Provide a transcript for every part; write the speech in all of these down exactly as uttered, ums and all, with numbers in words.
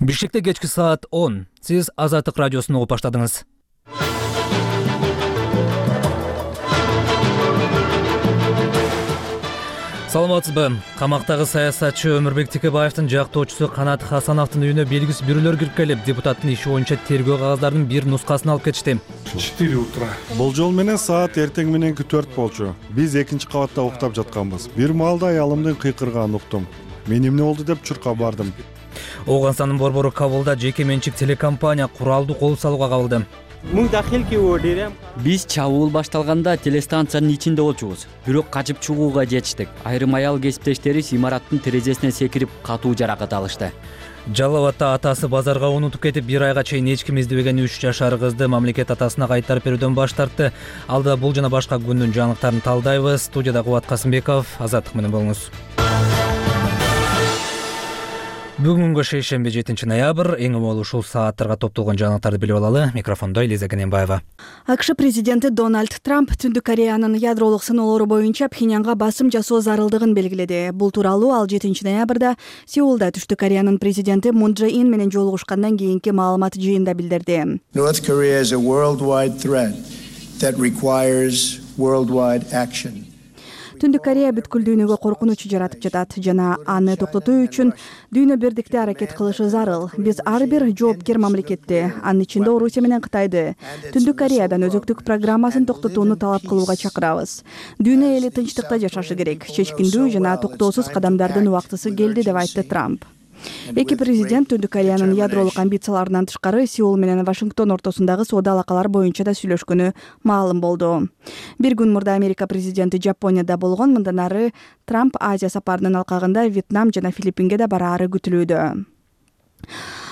Бишкекте кечки саат он. Сиз Азаттык радиосун угуп баштадыңыз. Саламатсызбы? Камактагы саясатчы Өмүрбек Текебаевдин жактоочусу Канат Хасановдун үйүнө белгисиз бирөөлөр кирип келип, депутаттын иши боюнча тергөө кагаздардын бир нускасын алып кетишти. четыре утра. Болжол менен саат эртең мененки төрт болчу. Биз экинчи кабатта уктап жатканбыз. Бир маалда аялымдын кыйкырганын уктум. Мен эмне болду деп чуркап бардым. Ооганстандын борбору Кабулда жеке менчик телекомпания куралды кол салууга кабылды. Биз чабуул башталганда телестанциянын ичинде болчубуз. Бирок качып чыгууга жетиштик. Айрым аял кесиптештери имараттын терезесине секирип катуу жаракат алышты. Жалал Абадта атасы базарга унутуп кетип, бир айга чейин эч ким издебеген үч жашар кызды мамлекет атасына кайтарып берүүдөн баш тартты. Алда бул жана башка күндүн жаңылыктарын талдайбыз. Студияда Кубат Касымбеков, Азаттык менен болуңуз. Бүгүнгү шейшемби жетинчи ноябрь, эң умол ушул сааттарга топтолгон жаңылыктарды билип алалы. Микрофондо Элиза Кененбаева. АКШ президенти Дональд Трамп Түндүк Кореянын ядролук сыноолору боюнча Пхеньянга басым жасоо зарылдыгын белгиледи. Бул тууралуу ал жетинчи ноябрда Сеулда Түштүк Кореянын президенти Мун Чже Ин менен жолугушкандан кийинки маалымат жыйында билдирди. North Korea is a worldwide threat that requires worldwide action. Түндүк Корея бүткүл дүйнөгө коркунуч жаратып жатат жана аны токтотуу үчүн дүйнө бирдикте аракет кылышы зарыл. Биз ар бир жоопкер мамлекетти, анын ичинде Орусия менен Кытайды, Түндүк Кореядан өзөктүк программасын токтотууну талап кылууга чакырабыз. Дүйнө эли тынчтыкта жашашы керек. Чечкиндүү жана токтоосуз кадамдардын убактысы келди деп айтты Трамп. Эки президент Түндүк Кореянын ядролук амбицияларынан тышкары Сеул менен Вашингтон ортосундагы соода алакалар боюнча да сүйлөшкөнү маалым болду. Бир күн мурда Америка президенти Жапонияда болгон, мындан ары Трамп Азия сапарынын алкагында Вьетнам жана Филиппинге да бараары күтүлүүдө.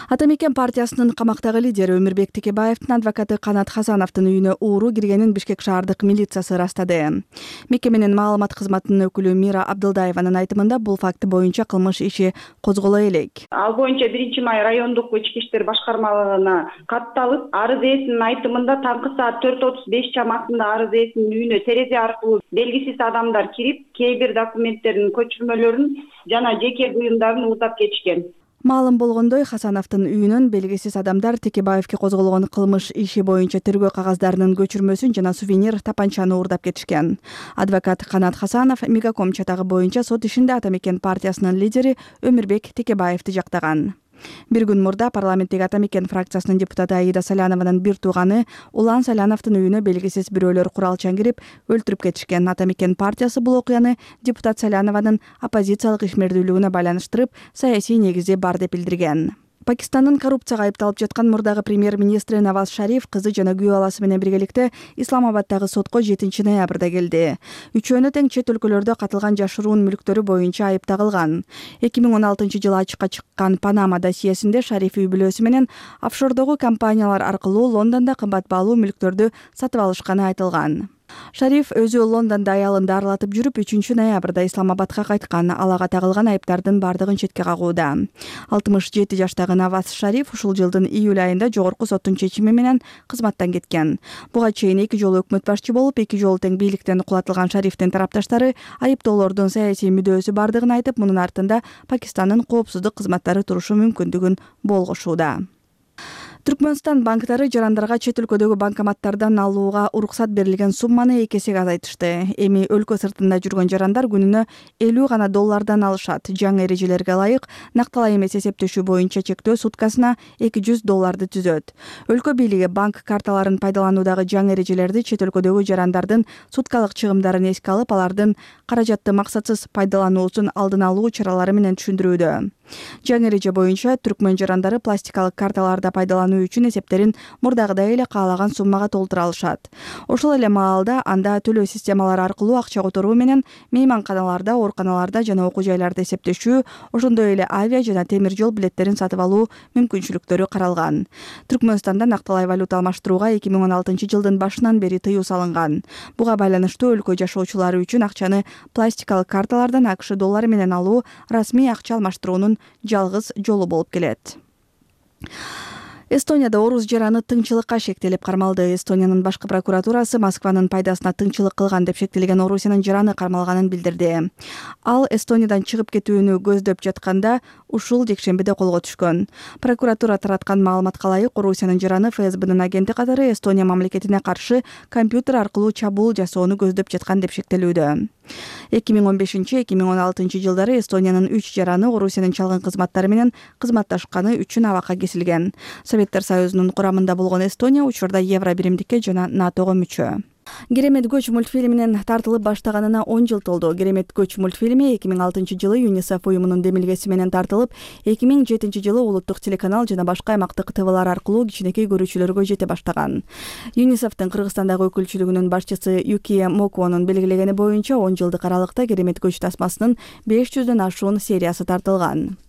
Атамекен партиясынын камактагы лидери Өмүрбек Текебаевдин адвокаты Канат Хасановдун үйүнө ууру киргенин Бишкек шаардык милициясы ырастады. Мекеменин маалымат кызматынын өкүлү Мира Абдылдаеванын айтымында бул факты боюнча кылмыш иши козголо элек. Ал боюнча биринчи май райондук ички иштер башкармалыгына катталып, арыз ээсинин айтымында таңкы саат төрт отуз беш чамасында арыз ээсинин үйүнө терезе аркылуу белгисиз адамдар кирип, кээ бир документтердин көчүрмөлөрүн жана жеке буюмдарын уутап кетишкен. Маалым болгондой, Хасановдун үйүнөн белгисиз адамдар Текебаевге козголгон кылмыш иши боюнча тергөө кагаздарынын көчүрмөсүн жана сувенир тапанчаны уурдап кетишкен. Адвокат Канат Хасанов Мегаком чатагы боюнча сот ишинде Атамекен партиясынын лидери Өмүрбек Текебаевди жактаган. Бир күн мурда парламенттеги Атамекен фракциясынын депутаты Аида Салянованын бир тууганы Улан Саляновдун үйүнө белгисиз бирөөлөр куралчан кирип өлтүрүп кетишкен. Атамекен партиясы бул окуяны депутат Салянованын оппозициялык ишмердүүлүгүнө байланыштырып, саясий негизи бар деп билдирген. Пакистандын коррупцияга айыпталып жаткан мурдагы премьер-министри Наваз Шариф кызы жана күйөө баласы менен биргеликте Исламабадтагы сотко жетинчи ноябрда келди. Үчөөнө тең чет өлкөлөрдө катылган жашыруун мүлктөрү боюнча айып тагылган. эки миң он алтынчы жылы ачыкка чыккан Панама досьесинде Шариф үй бүлөсү менен офшордогу компаниялар аркылуу Лондондо кымбат баалуу мүлктөрдү сатып алышканы айтылган. Шариф өзү Лондондо аялын дарылатып жүрүп, үчүнчү ноябрда Исламабадка кайткан. Ал ага тагылган айыптардын бардыгын четке кагууда. алтымыш жети жаштагы Наваз Шариф ушул жылдын июль айында жогорку соттун чечими менен кызматтан кеткен. Буга чейин эки жолу өкмөт башчы болуп, эки жолу тең бийликтен кулатылган Шарифтин тарапташтары айыптоолордун саясий мүдөөсү бардыгын айтып, мунун артында Пакистандын коопсуздук кызматтары турушу мүмкүндүгүн болгошууда. Түркмөнстан банктары жарандарга чет өлкөдөгү банкоматтардан алууга уруксат берилген сумманы эки эсеге азайтышты. Эми өлкө сыртында жүргөн жарандар күнүнө элүү гана доллардан алышат. Жаңы эрежелерге ылайык накталай эмес эсептешүү боюнча чектөө суткасына эки жүз долларды түзөт. Өлкө бийлиги банк карталарын пайдалануудагы жаңы эрежелерди чет өлкөдөгү жарандардын суткалык чыгымдарын эске алып, алардын каражатты максатсыз пайдалануусун алдын алуу чаралары менен түшүндүрүүдө. Жаңы эреже боюнча түркмөн жарандары пластикалык карталарда пайдалануу үчүн эсептерин мурдагыдай эле каалаган суммага толтура алышат. Ошол эле маалда анда төлөө системалары аркылуу акча которуу менен мейманканаларда, ооруканаларда жана окуу жайларда эсептешүү, ошондой эле авиа жана темир жол билеттерин сатып алуу мүмкүнчүлүктөрү каралган. Түркмөнстанда накталай валюта алмаштырууга эки миң он алтынчы жылдын башынан бери тыюу салынган. Буга байланыштуу өлкө жашоочулары үчүн акчаны пластикалык карталардан АКШ доллары менен алуу расмий акча алмаштыруунун жалгыз жолу болуп келет. Эстонияда орус жараны тыңчылыкка шектелип кармалды. Эстониянын башкы прокуратурасы Москванын пайдасына тыңчылык кылган деп шектелген Орусиянын жараны кармалганын билдирди. Ал Эстониядан чыгып кетүүнү көздөп жатканда ушул жекшембиде колго түшкөн. Прокуратура тараткан маалыматка ылайык, Орусиянын жараны ФСБнын агенти катары Эстония мамлекетине каршы компьютер аркылуу чабуул жасоону көздөп жаткан деп шектелүүдө. эки миң он бешинчи — эки миң он алтынчы жылдары Эстониянын үч жараны Орусиянын чалгын кызматтары менен кызматташканы үчүн абакка кесилген. Советтер Союзунун курамында болгон Эстония учурда Евро биримдикке жана НАТОго мүчө. Керемет көч мультфильминин тартылып баштаганына он жыл толду. Керемет көч мультфильми эки миң алтынчы жылы ЮНИСЕФ уюмунун демилгеси менен тартылып, эки миң жетинчи жылы улуттук телеканал жана башка аймактык ТВлар аркылуу кичинекей көрүүчүлөргө жете баштаган. ЮНИСЕФтин Кыргызстандагы өкүлчүлүгүнүн башчысы Юкия Мокуонун белгилегени боюнча он жылдык аралыкта Керемет көч тасмасынын беш жүздөн ашуун сериясы тартылган.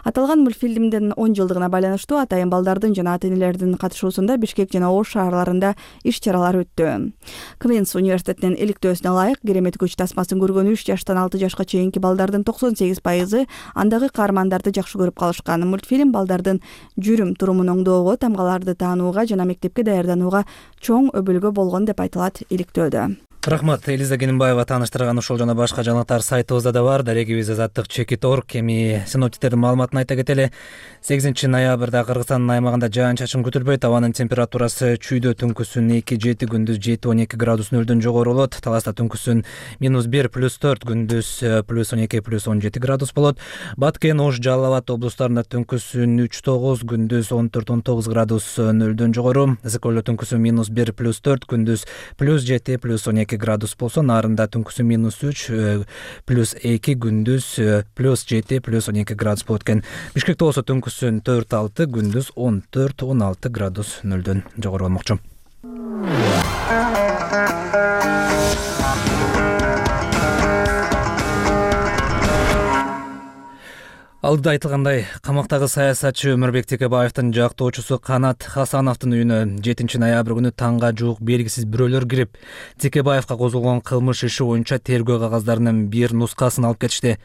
Аталган мультфильмдин он жылдыгына байланыштуу атайын балдардын жана ата-энелердин катышуусунда Бишкек жана Ош шаарларында иш-чаралар өттү. Квинс университетинин иликтөөсүнө ылайык, Керемет көч тасмасын көргөн үч жаштан алты жашка чейинки балдардын токсон сегиз пайызы андагы каармандарды жакшы көрүп калышкан. Мультфильм балдардын жүрүм-турумун оңдоого, тамгаларды таанууга жана мектепке даярданууга чоң өбөлгө болгон деп айтылат иликтөөдө. Рахмат, Элиза Кенимбаева тааныштырган ушул жана башка жаңылыктар сайтыбызда да бар. Дарегибиз азаттык чекит точка орг. Эми синоптиктердин маалыматын айта кетели. сегизинчи ноябрда Кыргызстандын аймагында жаан-чачын күтүлбөйт. Абанын температурасы чүйдө түнкүсүн эки жети, күндүз жети он эки градус нөлдөн жогору болот. Таласта түнкүсүн минус бир плюс төрт, күндүз плюс он эки плюс он жети градус болот. Баткен, Ош, Жалал Абад облустарында түнкүсүн үч тогуз, күндүз он төрт он тогуз градус нөлдөн жогору. Ысык түнкүсүн минус бир плюс төрт, күндүз плюс жети плюс он эки градус болсо, нарында түнкүсүн минус үч плюс эки, күндүз плюс жети плюс он эки градус болот экен. Бишкекте болсо түнкүсүн төрт алты, күндүз он төрт он алты градус нөлдөн жогору болмокчу. Алдыда айтылгандай, камактагы саясатчы Өмүрбек Текебаевдин жактоочусу Канат Хасановдун үйүнө жетинчи ноябрь күнү таңга жуук белгисиз бирөөлөр кирип, Текебаевга козголгон кылмыш иши боюнча тергөө кагаздарынын бир нускасын алып кетишти.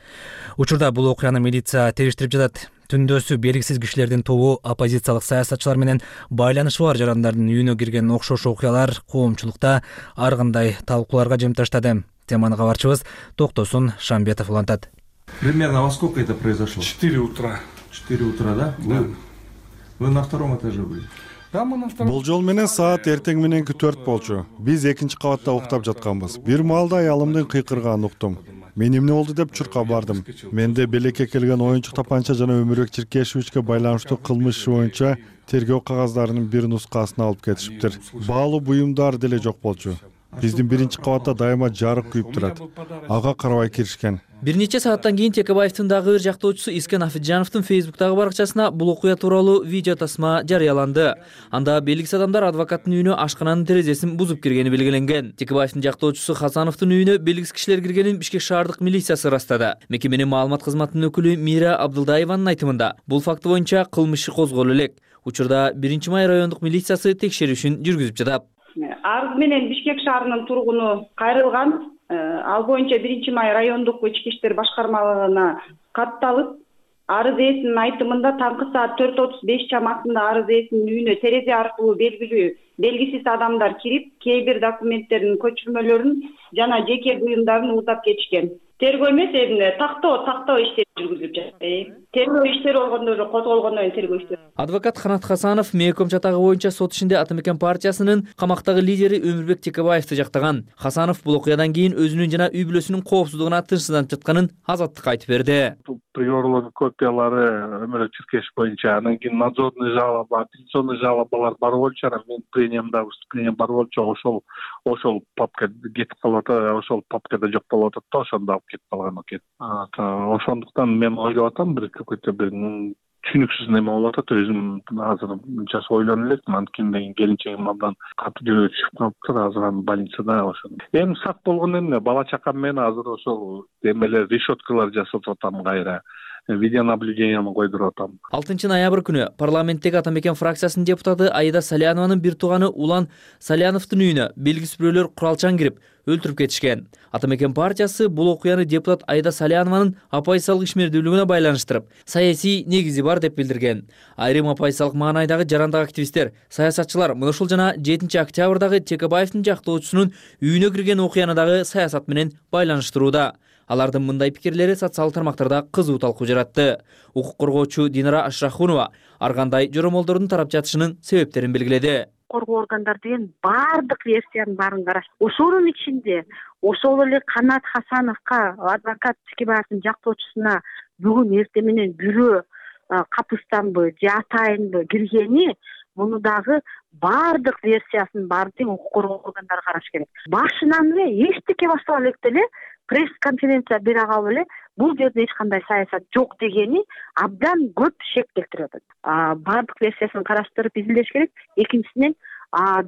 Учурда бул окуяны милиция териштирип жатат. Түндөсү белгисиз кишилердин тобу оппозициялык саясатчылар менен байланышы бар жарандардын үйүнө кирген окшош окуялар коомчулукта ар кандай талкууларга жем таштады. Теманы кабарчыбыз Токтосун Шамбетов улантат. Примерно во сколько это произошло? Четыре утра. Четыре утра, да? Да. Вы, вы на втором этаже были? Да, мы на втором. Болжол менен саат эртең мененки төрт болчу. Биз экинчи кабатта уктап жатканбыз. Бир маалда аялымдын кыйкырганын уктум. Мен эмне болду деп чуркап бардым. Менде белекке келген оюнчук тапанча жана Өмүрбек Чиркешевичке байланыштуу кылмыш иши боюнча тергөө кагаздарынын бир нускасын алып кетишиптир. Баалуу буюмдар деле жок болчу. Биздин биринчи кабатта дайыма жарык күйүп турат. Ага карабай киришкен. Бир нече сааттан кийин Текебаевдин дагы бир жактоочусу Искен Афиджановдун Фейсбуктагы баракчасына бул окуя тууралуу видео тасма жарыяланды. Анда белгисиз адамдар адвокаттын үйүнө ашкананын терезесин бузуп киргени белгиленген. Текебаевдин жактоочусу Хасановдун үйүнө белгисиз кишилер киргенин Бишкек шаардык милициясы ырастады. Мекеменин маалымат кызматынын өкүлү Мира Абдылдаеванын айтымында, бул факты боюнча кылмыш иши козголо элек. Учурда биринчи май райондук милициясы текшерүүшүн жүргүзүп жатат. Арыз менен Бишкек шаарынын тургуну кайрылган. Ал боюнча биринчи май райондук ички иштер башкармалыгына катталып, арыз ээсинин айтымында таңкы саат төрт отуз беш чамасында арыз ээсинин үйүнө терезе аркылуу белгилүү белгисиз адамдар кирип, кээ бир документтердин көчүрмөлөрүн жана жеке буюмдарын уутап кетишкен. Тергөө эмес, эмне тактоо тактоо иштери жүргүзүлүп жатат. Тергөө иштери болгондо эле козголгондон кийин тергөө иштери. Адвокат Канат Хасанов Мейком чатагы боюнча сот ишинде Ата Мекен партиясынын камактагы лидери Өмүрбек Текебаевди жактаган. Хасанов бул окуядан кийин өзүнүн жана үй бүлөсүнүн коопсуздугуна тынчсызданып жатканын азаттыкка айтып берди. Приорлордун копиялары Өмүрбек Чиркешев боюнча, анан кийин надзорный жалоба, апелляционный жалобалар бар болчу, мен пленумда выступление бар болчу, ошол ошол папка кетип калып атат, ошол папкада жок болуп атат да, ошондо алып кетип калган экен. Ошондуктан мен ойлоп атам, бир какой-то бир түшүнүксүз неме болуп атат. Өзүм азыр жаш ойлонуп элекмин, анткени келинчегим абдан катуу жүрөгү чыгып калыптыр, азыр анын больницада ошо. Эми сак болгон эмне, бала чакам менен азыр ошол эмелер, решеткалар жасатып атам кайра. Видеонаблюдениени койдуруп атам. алтынчы ноябрь күнү парламенттеги Ата Мекен фракциясынын депутаты Аида Салянованын бир тууганы Улан Саляновдун үйүнө белгисиз бирөөлөр куралчан кирип өлтүрүп кетишкен. Ата Мекен партиясы бул окуяны депутат Аида Салянованын оппозициялык ишмердүүлүгүнө байланыштырып, саясий негизи бар деп билдирген. Айрым оппозициялык маанайдагы жарандык активисттер, саясатчылар мына ушул жана жетинчи октябрдагы Текебаевдин жактоочусунун үйүнө кирген окуяны дагы саясат менен байланыштырууда. Алардын мындай пикирлери социалдык тармактарда кызуу талкуу жаратты. Укук коргоочу Динара Ашрахунова ар кандай жоромолдордун тарап жатышынын себептерин белгиледи. Коргоо органдары деген баардык версиянын баарын карашты. Ошонун ичинде ошол эле Канат Хасановго, адвокат Текебаевдин жактоочусуна бүгүн эртең менен бирөө капыстанбы же атайынбы киргени, муну дагы баардык версиясын баардык укук коргоо органдары караш керек. Башынан эле эчтеке баштала электе эле пресс-конференция бере калып эле бул жерде эч кандай саясат жок дегени абдан көп шек келтирип атат. Баардык версиясын караштырып изилдеш керек. Экинчисинен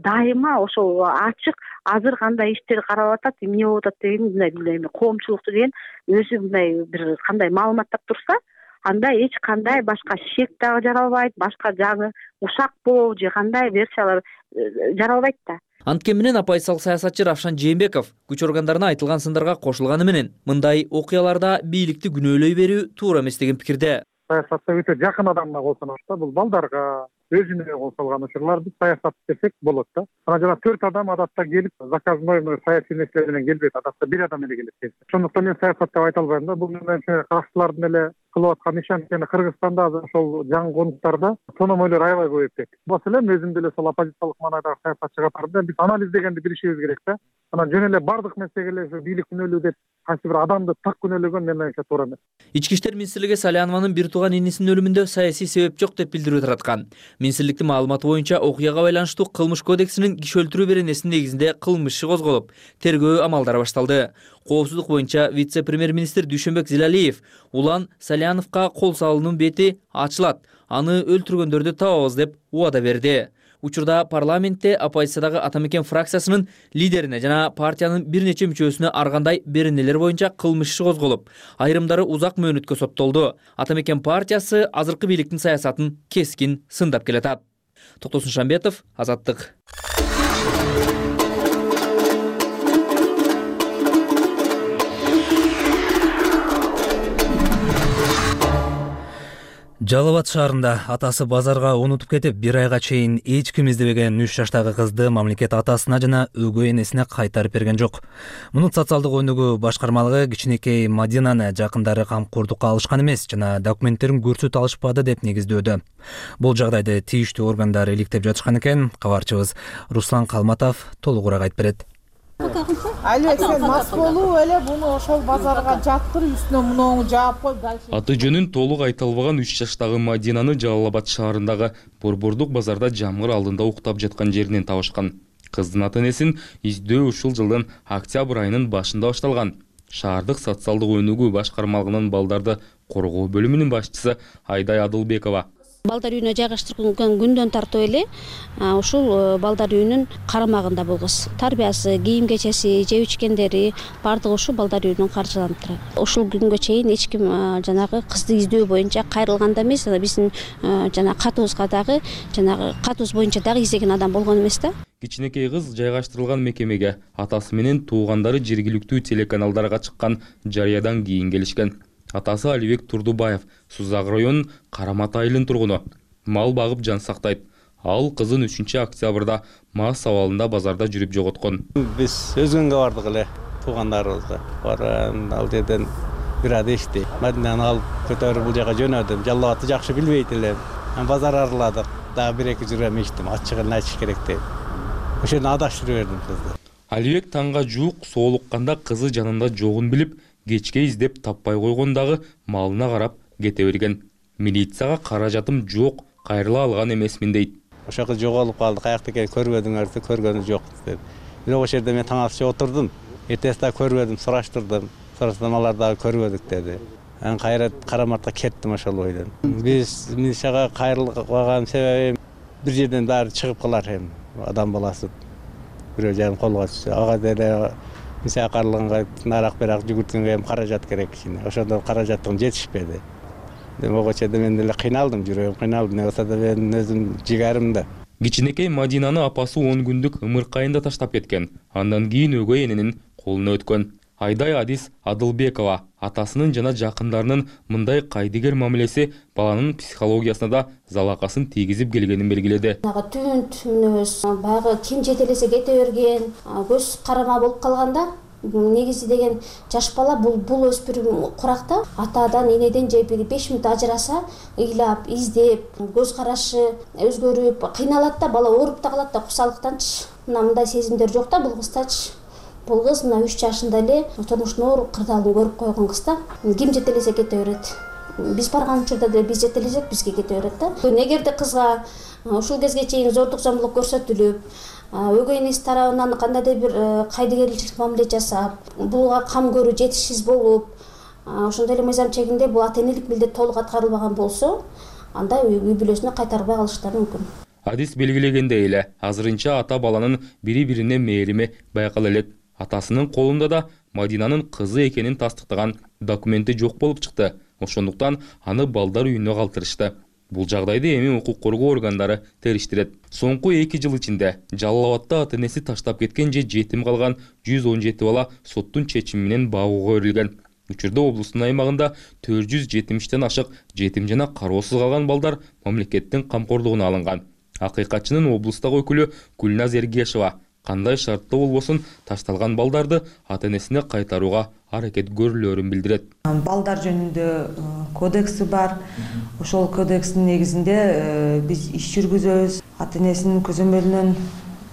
дайыма ошол ачык азыр кандай иштер каралып атат, эмне болуп атат деген мындай билем, коомчулукту деген өзү мындай бир кандай маалыматтап турса, анда эч кандай башка шек дагы жаралбайт, башка жаңы ушак болобу же кандай версиялар жаралбайт да. Анткени менен апайсал саясатчы Равшан Жээнбеков күч органдарына айтылган сындарга кошулганы менен мындай окуяларда бийликти күнөөлөй берүү туура эмес деген пикирде. Саясатта өтө жакын адамга колсонот да, бул балдарга, өзүнө кол салган учурлар биз саясат десек болот да. Анан жана төрт адам адатта келип, заказной саясий нерселер менен келбейт, адатта бир адам эле келет. Ошондуктан мен саясат деп айта албайм да. Бул менен каршылардын эле кылып аткан иш анткени Кыргызстанда азыр ошол жаңы конуктарда тономойлор аябай көбөйүп кетти. Маселен өзүм деле сол оппозициялык маанайдагы саясатчы катарында биз анализ дегенди билишибиз керек да. Анан жөн эле бардык маселелер бийлик күнөөлүү деп кайсы бир адамды так күнөөлөгөн мен менимче туура эмес. Ички иштер министрлиги Салянованын бир тууган инисинин өлүмүндө саясий себеп жок деп билдирүү тараткан. Министрликтин маалыматы боюнча окуяга байланыштуу Кылмыш кодексинин киши өлтүрүү беренесинин негизинде кылмыш иши козголуп, тергөө амалдары башталды. Коопсуздук боюнча вице-премьер-министр Дүйшөнбек Зилалиев улан Саляновго кол салуунун бети ачылат, аны өлтүргөндөрдү табабыз деп убада берди. Учурда парламентте оппозициядагы Атамекен фракциясынын лидерине жана партиянын бир нече мүчөсүнө ар кандай беренелер боюнча кылмыш иши козголуп, айрымдары узак мөөнөткө соттолду. Атамекен партиясы азыркы бийликтин саясатын кескин сындап келатат. Токтосун Шамбетов, Азаттык. Жалал Абад шаарында атасы базарга унутуп кетип, бир айга чейин эч ким издебеген үч жаштагы кызды мамлекет атасына жана өгөй энесине кайтарып берген жок. Мунун социалдык өнүгүү башкармалыгы кичинекей Мадинаны жакындары камкордукка алышкан эмес жана документтерин көрсөтө алышпады деп негиздөөдө. Бул жагдайды тийиштүү органдар иликтеп жатышкан экен. Кабарчыбыз Руслан Калматов толугураак айтып берет. Алек, сен мас болуп эле буну ошол базарга жаптыр, үстүнө муну жаап кой. Аты жөнүн толук айта албаган үч жаштагы Мадинаны Жалал Абад шаарындагы Борбордук базарда жамгыр алдында уктап жаткан жеринен табышкан. Кыздын ата энесин издөө ушул жылдын октябрь айынын башында башталган. Шаардык социалдык өнүгүү башкармалыгынын балдарды коргоо бөлүмүнүн башчысы Айдай Адылбекова. Балдар үйүнө жайгаштырылган күндөн тартып эле ушул балдар үйүнүн карамагында бул кыз. Тарбиясы, кийим кечеси, жеп ичкендери бардыгы ушул балдар үйүнүн каржыланып турат. Ушул күнгө чейин эч ким жанагы кызды издөө боюнча кайрылганда эмес, биздин жана катыбызга дагы жанагы катыбыз боюнча дагы издеген адам болгон эмес да. Кичинекей кыз жайгаштырылган мекемеге атасы менен туугандары жергиликтүү телеканалдарга чыккан жарыядан кийин келишкен. Атасы Алибек Турдубаев Сузак районунун Карамат айылынын тургуну. Мал багып жан сактайт. Ал кызын үчүнчү октябрда мас абалында базарда жүрүп жоготкон. Биз өзгөнгө бардык эле туугандарыбызга. Баран ал жерден бир ада ишти. Мадинаны алып көтөрүп бул жака жөнөдүм. Жалал Абадты жакшы билбейт элем. Базар араладык. Дагы бир эки жүрөм иштим. Ачыгын айтыш керек деп. Ошондо адаштырып бердим кызды. Алибек таңга жуук соолукканда кызы жанында жогун билип, кечке издеп таппай койгондагы малына карап кете берген. Милицияга каражатым жок, кайрыла алган эмесмин дейт. Ошо кыз жоголуп калды, каякта экен көрбөдүңөрбү, көргөнү жок деп. Бирок ошол жерде мен таң атча отурдум. Эртеси да көрбөдүм, сураштырдым. Сурасам алар дагы көрбөдүк деди. Анан кайра Караматка кеттим ошол бойдон. Биз милицияга кайрылган себебим бир жерден баары чыгып калар эми, адам баласы. Бирөө жайым колго түшсө, ага деле мисалы карлыганга нарак берак жүгүрткөнгө эми каражат керек кичине. Ошондо каражаттын жетишпеди. Ого чейин мен деле кыйналдым, жүрөгүм кыйналды. Не болсо да мен өзүм жигарым да. Кичинекей Мадинаны апасы он күндүк ымыркайында таштап кеткен. Андан кийин өгөй эненин колуна өткөн. Айдай Адис Адылбекова атасынын жана жакындарынын мындай кайдыгер мамилеси баланын психологиясына да залакасын тийгизип келгенин белгиледи. Түнт мүнөз, баягы ким жетелесе кете берген, көз карама болуп калганда негизи деген жаш бала бул бул өспүрүм куракта атадан энеден же бир беш мүнөт ажыраса ыйлап издеп көз карашы өзгөрүп кыйналат да, бала ооруп да калат да кусалыктанчы. Мына мындай сезимдер жок да бул кыздачы. Бул кыз мына үч жашында эле турмуштун оор кырдаалын көрүп койгон кыз да. Ким жетелесе кете берет. Биз барган учурда деле биз жетелесек бизге кете берет да. Эгерде кызга ушул кезге чейин зордук зомбулук көрсөтүлүп, өгөй энеси тарабынан кандайдыр бир кайдыгерличилик мамиле жасап, буга кам көрүү жетишсиз болуп, ошондой эле мыйзам чегинде бул ата энелик милдет толук аткарылбаган болсо, анда үй бүлөсүнө кайтарбай калыштары мүмкүн. Адис белгилегендей эле, азырынча ата баланын бири-бирине мээрими байкала элек. Атасынын колунда да Мадинанын кызы экенин тастыктаган документи жок болуп чыкты. Ошондуктан аны балдар үйүнө калтырышты. Бул жагдайды эми укук коргоо органдары териштирет. Соңку эки жыл ичинде Жалал Абадта ата энеси таштап кеткен же жетим калган жүз он жети бала соттун чечими менен багууга берилген. Учурда облустун аймагында төрт жүз жетимиштен ашык жетим жана кароосуз калган балдар мамлекеттин камкорлугуна алынган. Акыйкатчынын облустагы өкүлү Гүлназ Эргешова кандай шартта болбосун ташталган балдарды ата энесине кайтарууга аракет көрүлөрүн билдирет. Балдар жөнүндө кодекси бар. Ошол кодекстин негизинде биз иш жүргүзөбүз. Ата энесинин көзөмөлүнөн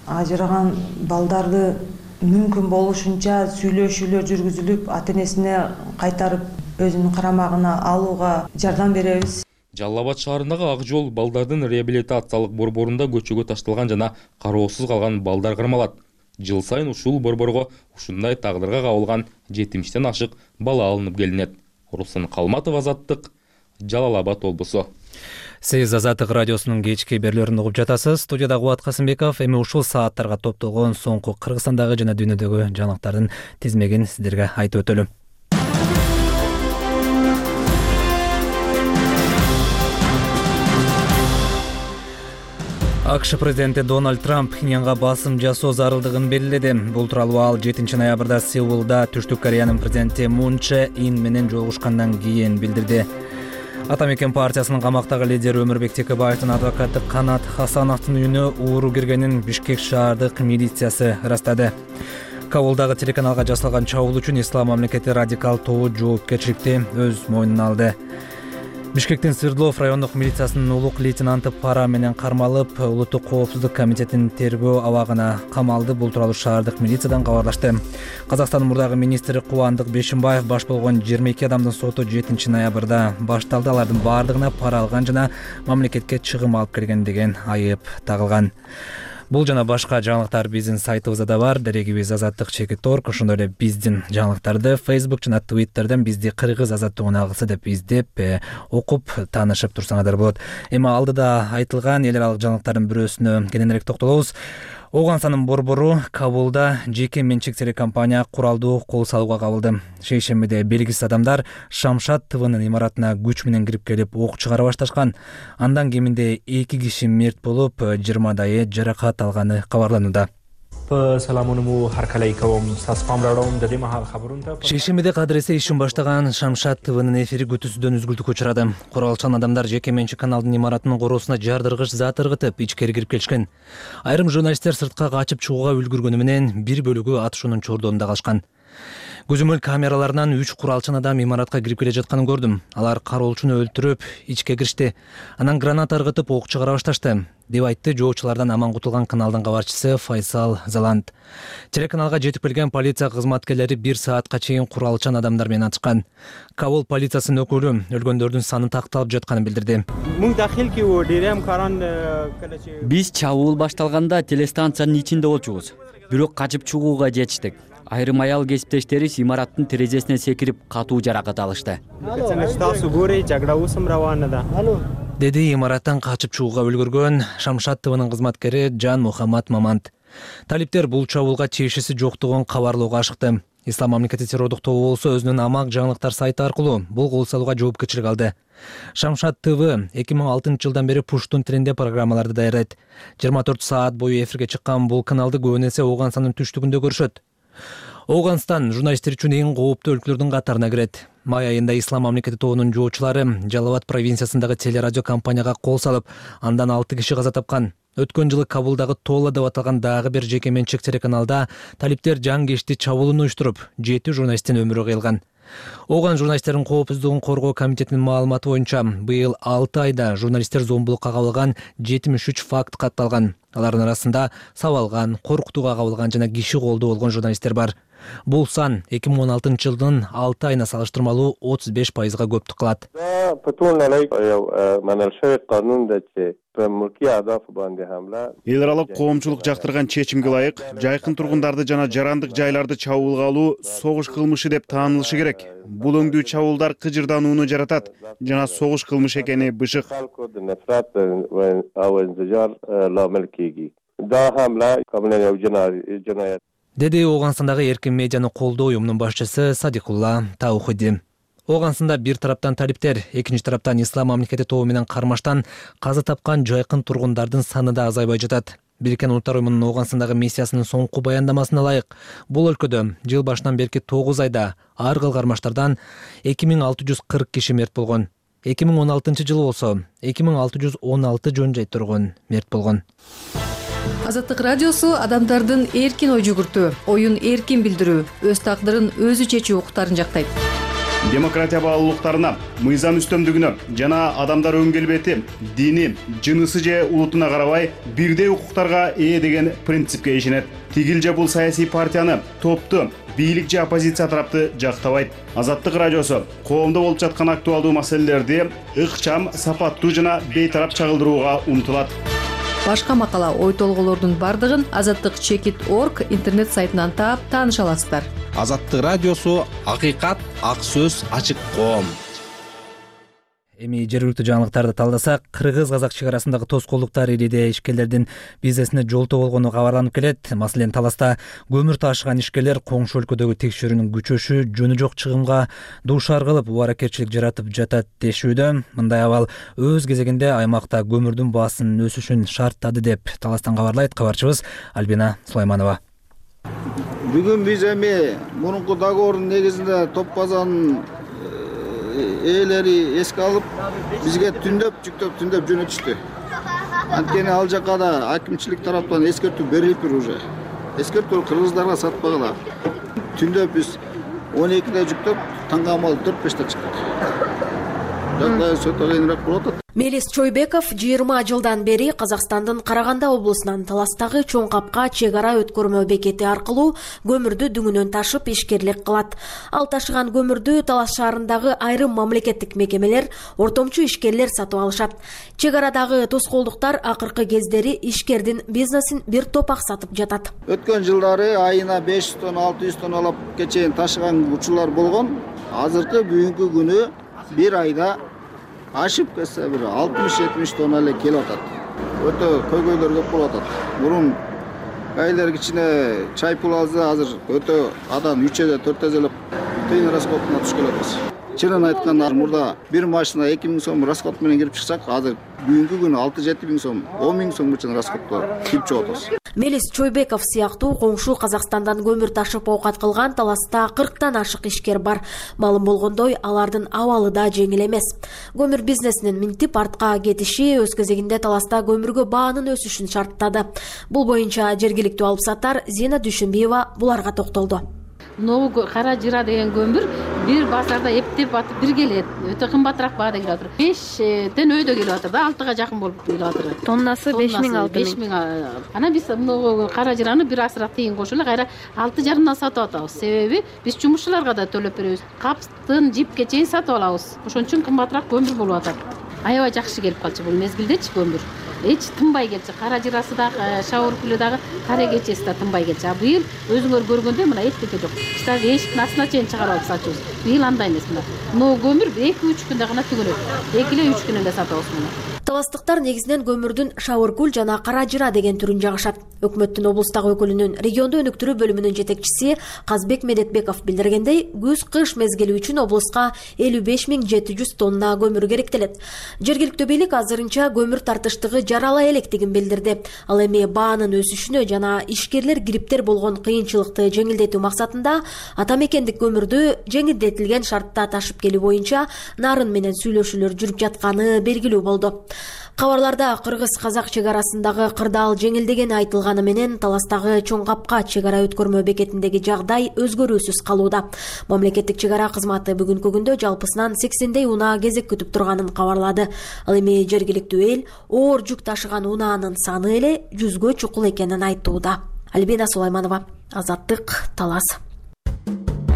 ажыраган балдарды мүмкүн болушунча сүйлөшүүлөр жүргүзүлүп, ата энесине кайтарып өзүнүн карамагына алууга жардам беребиз. Жалал Абад шаарындагы Ак жол балдардын реабилитациялык борборунда көчөгө ташталган жана кароосуз калган балдар кармалат. Жыл сайын ушул борборго ушундай тагдырга кабылган жетимиштен ашык бала алынып келинет. Руслан Калматов, Азаттык, Жалал Абад облусу. Сиз Азаттык радиосунун кечки берүүлөрүн угуп жатасыз. Студияда Кубат Касымбеков. Эми ушул сааттарга топтолгон соңку Кыргызстандагы жана дүйнөдөгү жаңылыктардын тизмегин сиздерге айтып өтөлүм. АКШ президенти Дональд Трамп Пхеньянга басым жасоо зарылдыгын белгиледи. Бул тууралуу ал жетинчи ноябрда Сеулда Түштүк Кореянын президенти Мун Чже Ин менен жолугушкандан кийин билдирди. Ата мекен партиясынын камактагы лидери Өмүрбек Текебаевдин адвокаты Канат Хасановдун үйүнө ууру киргенин Бишкек шаардык милициясы ырастады. Кабулдагы телеканалга жасалган чабуул үчүн Ислам мамлекети радикал тобу жоопкерчиликти өз мойнуна алды. Бишкектин Свердлов райондук милициясынын улук лейтенанты пара менен кармалып, Улуттук коопсуздук комитетинин тергөө абагына камалды. Бул тууралуу шаардык милициядан кабарлашты. Казакстандын мурдагы министри Кубандык Бешимбаев баш болгон жыйырма эки адамдын соту жетинчи ноябрда башталды. Алардын баардыгына пара алган жана мамлекетке чыгым алып келген деген айып тагылган. Бул жана башка жаңылыктар биздин сайтыбызда да бар. Дарегибиз азаттык чекит точка орг. Ошондой эле биздин жаңылыктарды Facebook жана Twitter'дан бизди кыргыз азаттыгын алгысы деп издеп, окуп, таанышып турсаңыздар болот. Эми алдыда айтылган эл аралык жаңылыктардын бирөөсүнө кененирээк токтолобуз. Оганстандын борбору Кабулда жеке менчик телекомпания куралдуу кол салууга кабылды. Шейшембиде белгисиз адамдар Шамшат ТВнын имаратына күч менен кирип келип ок чыгара башташкан. Андан кеминде эки киши мерт болуп, жыйырмадайы жаракат алганы кабарланууда. Шейшембиде кадыресе ишин баштаган Шамшат ТВнын эфири күтүүсүздөн үзгүлтүккө учурады. Куралчан адамдар жеке менчик каналдын имаратынын короосуна жардыргыч зат ыргытып, ичкери кирип келишкен. Айрым журналисттер сыртка качып чыгууга үлгүргөнү менен бир бөлүгү атышуунун чордонунда калышкан. Көзөмөл камераларынан үч куралчан адам имаратка кирип келе жатканын көрдүм. Алар кароолчуну өлтүрүп, ичке киришти. Анан граната ыргытып ок чыгара башташты, деп айтты жоочулардан аман кутулган каналдын кабарчысы Файсал Заланд. Телеканалга жетип келген полиция кызматкерлери бир саатка чейин куралчан адамдар менен атышкан. Кабул полициясынын өкүлү өлгөндөрдүн саны такталып жатканын билдирди. Биз чабуул башталганда телестанциянын ичинде болчубуз. Бирок качып чыгууга жетиштик. Айрым аял кесиптештерибиз имараттын терезесине секирип катуу жаракат алышты. Деди имараттан качып чыгууга үлгүргөн Шамшат ТВнын кызматкери Жан Мухаммад Мамант. Талиптер бул чабуулга тиешеси жоктугун кабарлоого ашыкты. Ислам мамлекети террордук тобу болсо өзүнүн амак жаңылыктар сайты аркылуу бул кол салууга жоопкерчилик алды. Шамшат ТВ эки миң алтынчы жылдан бери пуштун тилинде программаларды даярдайт. жыйырма төрт саат бою эфирге чыккан бул каналды көбүн эсе Оганстандын түштүгүндө көрүшөт. Оганстан журналисттер үчүн эң кооптуу өлкөлөрдүн катарына кирет. Май айында Ислам мамлекети тобунун жоочулары Жалал Абад провинциясындагы телерадио компанияга кол салып, андан алты киши каза тапкан. Өткөн жылы Кабулдагы Тола деп аталган дагы бир жеке менчик телеканалда талиптер жаңгешти чабуулун уюштуруп, жети журналисттин өмүрү кыйылган. Ооган журналисттердин коопсуздугун коргоо комитетинин маалыматы боюнча быйыл алты айда журналисттер зомбулукка кабылган жетимиш үч факт катталган. Алардын арасында сабалган, коркутууга кабылган жана киши колдоо болгон журналисттер бар. Бул сан эки миң он алтынчы жылдын алты айына салыштырмалуу отуз беш пайызга көптүк кылат. Эл аралык коомчулук жактырган чечимге ылайык жайкын тургундарды жана жарандык жайларды чабуулга алуу согуш кылмышы деп таанылышы керек. Бул өңдүү чабуулдар кыжырданууну жаратат жана согуш кылмышы экени бышык. Деди Ооганстандагы эркин медианы колдоо уюмунун башчысы Садикулла Таухиди. Ооганстанда бир тараптан талиптер, экинчи тараптан Ислам мамлекети тобу менен кармаштан каза тапкан жайкын тургундардын саны да азайбай жатат. Бириккен Улуттар уюмунун Ооганстандагы миссиясынын соңку баяндамасына ылайык, бул өлкөдө жыл башынан берки тогуз айда ар кыл кармаштардан эки миң алты жүз кырк киши мерт болгон. эки миң он алтынчы жылы болсо эки миң алты жүз он алты жөн жай тургун мерт болгон. Азаттык радиосу адамдардын эркин ой жүгүртүү, оюн эркин билдирүү, өз тагдырын өзү чечүү укуктарын жактайт. Демократия баалуулуктарына, мыйзам үстөмдүгүнө жана адамдар өн келбети, дини, жынысы же улутуна карабай бирдей укуктарга ээ деген принципке ишенет. Тигил же бул саясий партияны, топту, бийлик же оппозиция тарапты жактабайт. Азаттык радиосу коомдо болуп жаткан актуалдуу маселелерди ыкчам, сапаттуу жана бейтарап чагылдырууга умтулат. Башка макала, ой толголордун бардыгын азаттык чекит точка орг интернет сайтынан таап тааныша аласыздар. Азаттык радиосу акыйкат, ак сөз, ачык коом. Эми жергиликтүү жаңылыктарды талдасак, кыргыз-казак чек арасындагы тоскоолдуктар ириде ишкерлердин бизнесине жолтоо болгону кабарланып келет. Маселен, Таласта көмүр ташыган ишкерлер коңшу өлкөдөгү текшерүүнүн күчөшү жөнү жок чыгымга дуушар кылып, убаракерчилик жаратып жатат дешүүдө. Мындай абал өз кезегинде аймакта көмүрдүн баасынын өсүшүн шарттады деп Таластан кабарлайт кабарчыбыз Альбина Сулайманова. Бүгүн биз эми мурунку договордун негизинде топ базанын ээлери эске алып, бизге түндөп, жүктөп, түндөп жөнөтүштү. Анткени ал жака да акимчилик тараптан эскертүү берилиптир уже. Эскертүү кыргыздарга сатпагыла. Түндөп биз он экиде жүктөп, таңга амал төрт беште чыктык. Жагдай өтө кыйыныраак болуп атат. Мелис Чойбеков жыйырма жылдан бери Казакстандын Караганда облусунан Таластагы Чоң Капка чек ара өткөрмө бекети аркылуу көмүрдү дүңүнөн ташып ишкерлик кылат. Ал ташыган көмүрдү Талас шаарындагы айрым мамлекеттик мекемелер, ортомчу ишкерлер сатып алышат. Чек арадагы тоскоолдуктар акыркы кездери ишкердин бизнесин бир топ аксатып жатат. Өткөн жылдары айына беш жүз тонна, алты жүз тонналапка чейин ташыган учурлар болгон. Азыркы бүгүнкү күнү бир айда ашып кетсе бир алтымыш жетимиш тонна эле келип атат. Өтө көйгөйлөр көп болуп атат. Мурун айлар кичине чай пул алса, азыр өтө адам үч эзе төрт эзелеп тыйын расходуна түшүп келатабыз. Чынын айтканда мурда бир машина эки миң сом расход менен кирип чыксак, азыр бүгүнкү күнү алты жети миң сом, он миң сом үчүн расходко кирип чыгып атабыз. Мелис Чойбеков сыяктуу коңшу Казакстандан көмүр ташып оокат кылган Таласта кырктан ашык ишкер бар. Маалым болгондой, алардын абалы да жеңил эмес. Көмүр бизнесинин минтип артка кетиши өз кезегинде Таласта көмүргө баанын өсүшүн шарттады. Бул боюнча жергиликтүү алыпсаттар Зина Дүйшөнбиева буларга токтолду. Нову кара жыра деген көмүр бир базарда эптеп атып бир келет. Өтө кымбатыраак баада келип атыр. бештен өйдө келип атыр да, алтыга жакын болуп келип атыр. Тоннасы беш миң алты миң. Анан биз мына кара жыраны бир асырак тыйын кошуп эле кайра алты жарымдан сатып атабыз. Себеби биз жумушчуларга да төлөп беребиз. Каптын жипке чейин сатып алабыз. Ошон үчүн кымбатыраак көмүр болуп атат. Аябай жакшы келип калчу бул мезгилдечи көмүр. Эч тынбай келчү. Кара жырасы да, шауыр күлү дагы, кара кечеси да тынбай келчү. А быйыл өзүңөр көргөндөй мына эттеке жок. Кыштагы эшиктин астына чейин чыгарып алып сатабыз. Быйыл андай эмес мына. Но көмүр эки үч күндө гана түгөнөт. эки эле үч күн эле сатабыз муну. Таластыктар негизинен көмүрдүн шауыркүл жана кара жыра деген түрүн жагышат. Өкмөттүн облустагы өкүлүнүн регионду өнүктүрүү бөлүмүнүн жетекчиси Казбек Медетбеков билдиргендей, күз-кыш мезгили үчүн облуска элүү беш миң жети жүз тонна көмүр керектелет. Жергиликтүү бийлик азырынча көмүр тартыштыгы жарала электигин билдирди. Ал эми баанын өсүшүнө жана ишкерлер кириптер болгон кыйынчылыкты жеңилдетүү максатында ата мекендик көмүрдү жеңилдетилген шартта ташып келүү боюнча нарын менен сүйлөшүүлөр жүрүп жатканы белгилүү болду. Кабарларда кыргыз-казак чек арасындагы кырдаал жеңилдегени айтылганы менен таластагы Чоң Капка чек ара өткөрмө бекетиндеги жагдай өзгөрүүсүз калууда. Мамлекеттик чек ара кызматы бүгүнкү күндө жалпысынан сексендей унаа кезек күтүп турганын кабарлады. Ал эми жергиликтүү эл оор жүк ташыган унаанын саны эле жүзгө чукул экенин айтууда. Альбина Сулайманова, Азаттык, Талас.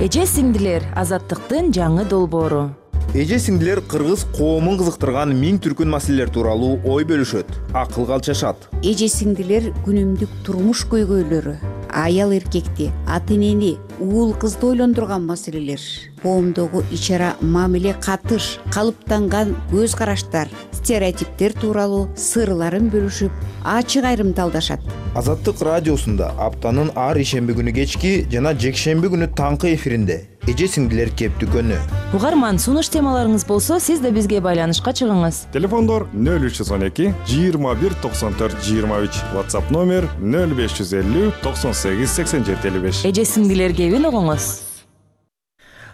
Эже сиңдилер, Азаттыктын жаңы долбоору. Эже сиңдилер кыргыз коомун кызыктырган миң түркүн маселелер тууралуу ой бөлүшөт, акылга алчашат. Эже сиңдилер күнүмдүк турмуш көйгөйлөрү, аял эркекти, ата энени, уул кызды ойлондурган маселелер, коомдогу ич ара мамиле катыш, калыптанган көз караштар, стереотиптер тууралуу сырларын бөлүшүп, ачык айрымталдашат. Азаттык радиосунда аптанын ар ишемби күнү кечки жана жекшемби күнү таңкы эфиринде эже сиңдилер кептикөнү. Угарман, сунуш темаларыңыз болсо, сиз да бизге байланышка чыгыңыз. Телефондор нөл үч жүз он эки жыйырма бир токсон төрт жыйырма үч, WhatsApp номер нөл беш жүз элүү токсон сегиз сексен жети элүү беш. Эже сиңдилер кебин угуңуз.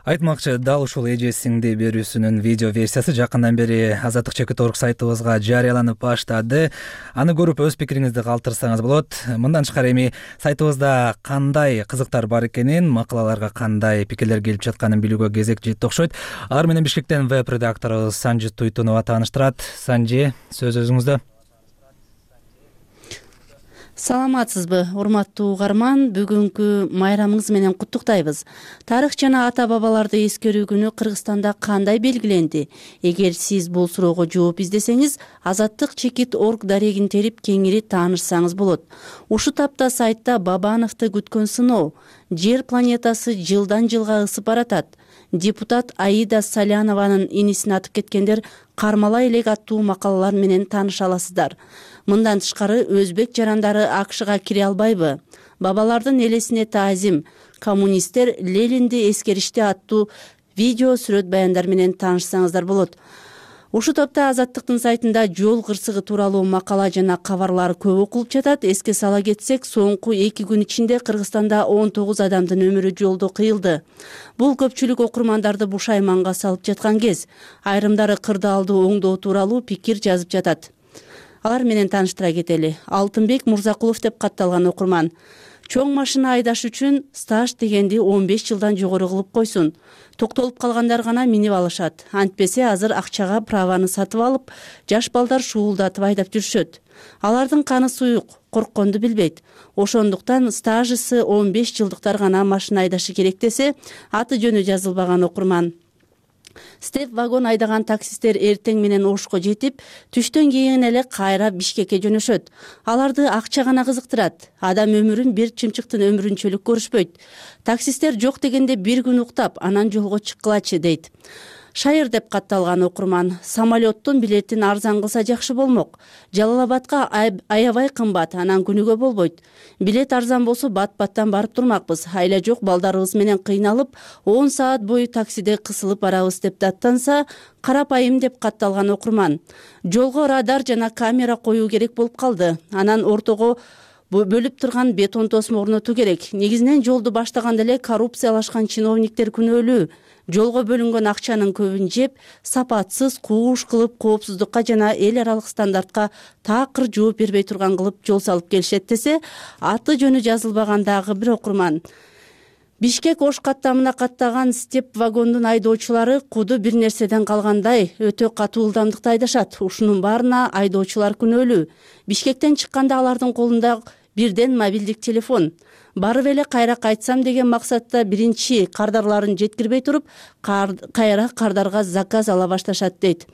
Айтмакчы, дал ушул эже сиңди берүүсүнүн видео версиясы жакындан бери Азаттык чекит точка орг сайтыбызга жарыяланып баштады. Аны көрүп өз пикириңизди калтырсаңыз болот. Мындан тышкары эми сайтыбызда кандай кызыктар бар экенин, макалаларга кандай пикирлер келип жатканын билүүгө кезек жетти окшойт. Алар менен Бишкектен веб-редакторубуз Санжи Туйтунова тааныштырат. Санжи, сөз өзүңүздө. Саламатсызбы, урматтуу угарман, бүгүнкү майрамыңыз менен куттуктайбыз. Тарых жана ата бабаларды эскерүү күнү Кыргызстанда кандай белгиленди? Эгер сиз бул суроого жооп издесеңиз, Азаттык чекит точка орг дарегин терип кеңири таанышсаңыз болот. Ушу тапта сайтта Бабановду күткөн сыноо, жер планетасы жылдан жылга ысып баратат. Депутат Аида Салянованын инисин атып кеткендер кармала элек аттуу макалалар менен тааныша аласыздар. Мындан тышкары өзбек жарандары АКШга кире албайбы? Бабалардын элесине таазим, коммунисттер Ленинди эскеришти аттуу видео сүрөт баяндар менен таанышсаңыздар болот. Ушу топто Азаттыктын сайтында жол кырсыгы тууралуу макала жана кабарлар көп окулуп жатат. Эске сала кетсек, соңку эки күн ичинде Кыргызстанда он тогуз адамдын өмүрү жолдо кыйылды. Бул көпчүлүк окурмандарды бушайманга салып жаткан кез. Айрымдары кырдаалды оңдоо тууралуу пикир жазып жатат. Алар менен тааныштыра кетели. Алтынбек Мурзакулов деп катталган окурман. Чоң машина айдаш үчүн стаж дегенди он беш жылдан жогору кылып койсун. Токтолуп калгандар гана минип алышат. Антпесе азыр акчага праваны сатып алып, жаш балдар шуулдатып айдап жүрүшөт. Алардын каны суюк, коркконду билбейт. Ошондуктан стажысы он беш жылдыктар гана машина айдашы керек десе, аты жөнү жазылбаган окурман. Степ вагон айдаган таксисттер эртең менен Ошко жетип, түштөн кийин эле кайра Бишкекке жөнөшөт. Аларды акча гана кызыктырат. Адам өмүрүн бир чымчыктын өмүрүнчөлүк көрүшпөйт. Таксисттер жок дегенде бир күн уктап, анан жолго чыккылачы дейт. Шайыр деп катталган окурман. Самолеттун билетин арзан кылса жакшы болмок. Жалал Абадка аябай кымбат, анан күнүгө болбойт. Билет арзан болсо бат-баттан барып турмакпыз. Айла жок балдарыбыз менен кыйналып, он саат бою таксиде кысылып барабыз деп даттанса, карапайым деп катталган окурман. Жолго радар жана камера коюу керек болуп калды. Анан ортого бөлүп турган бетон тосмо орнотуу керек. Негизинен жолду баштаганда эле коррупциялашкан чиновниктер күнөөлүү. Жолго бөлүнгөн акчанын көбүн жеп, сапатсыз кууш кылып, коопсуздукка жана эл аралык стандартка такыр жооп бербей турган кылып жол салып келишет десе, аты жөнү жазылбагандагы бир окурман. Бишкек Ош каттамына каттаган степ вагондун айдоочулары куду бир нерседен калгандай өтө катуу ылдамдыкта айдашат. Ушунун баарына айдоочулар күнөөлүү. Бишкектен чыкканда алардын колунда бирден мобилдик телефон. Барып эле кайра кайтсам деген максатта биринчи кардарларын жеткирбей туруп, кайра кардарга заказ ала башташат дейт.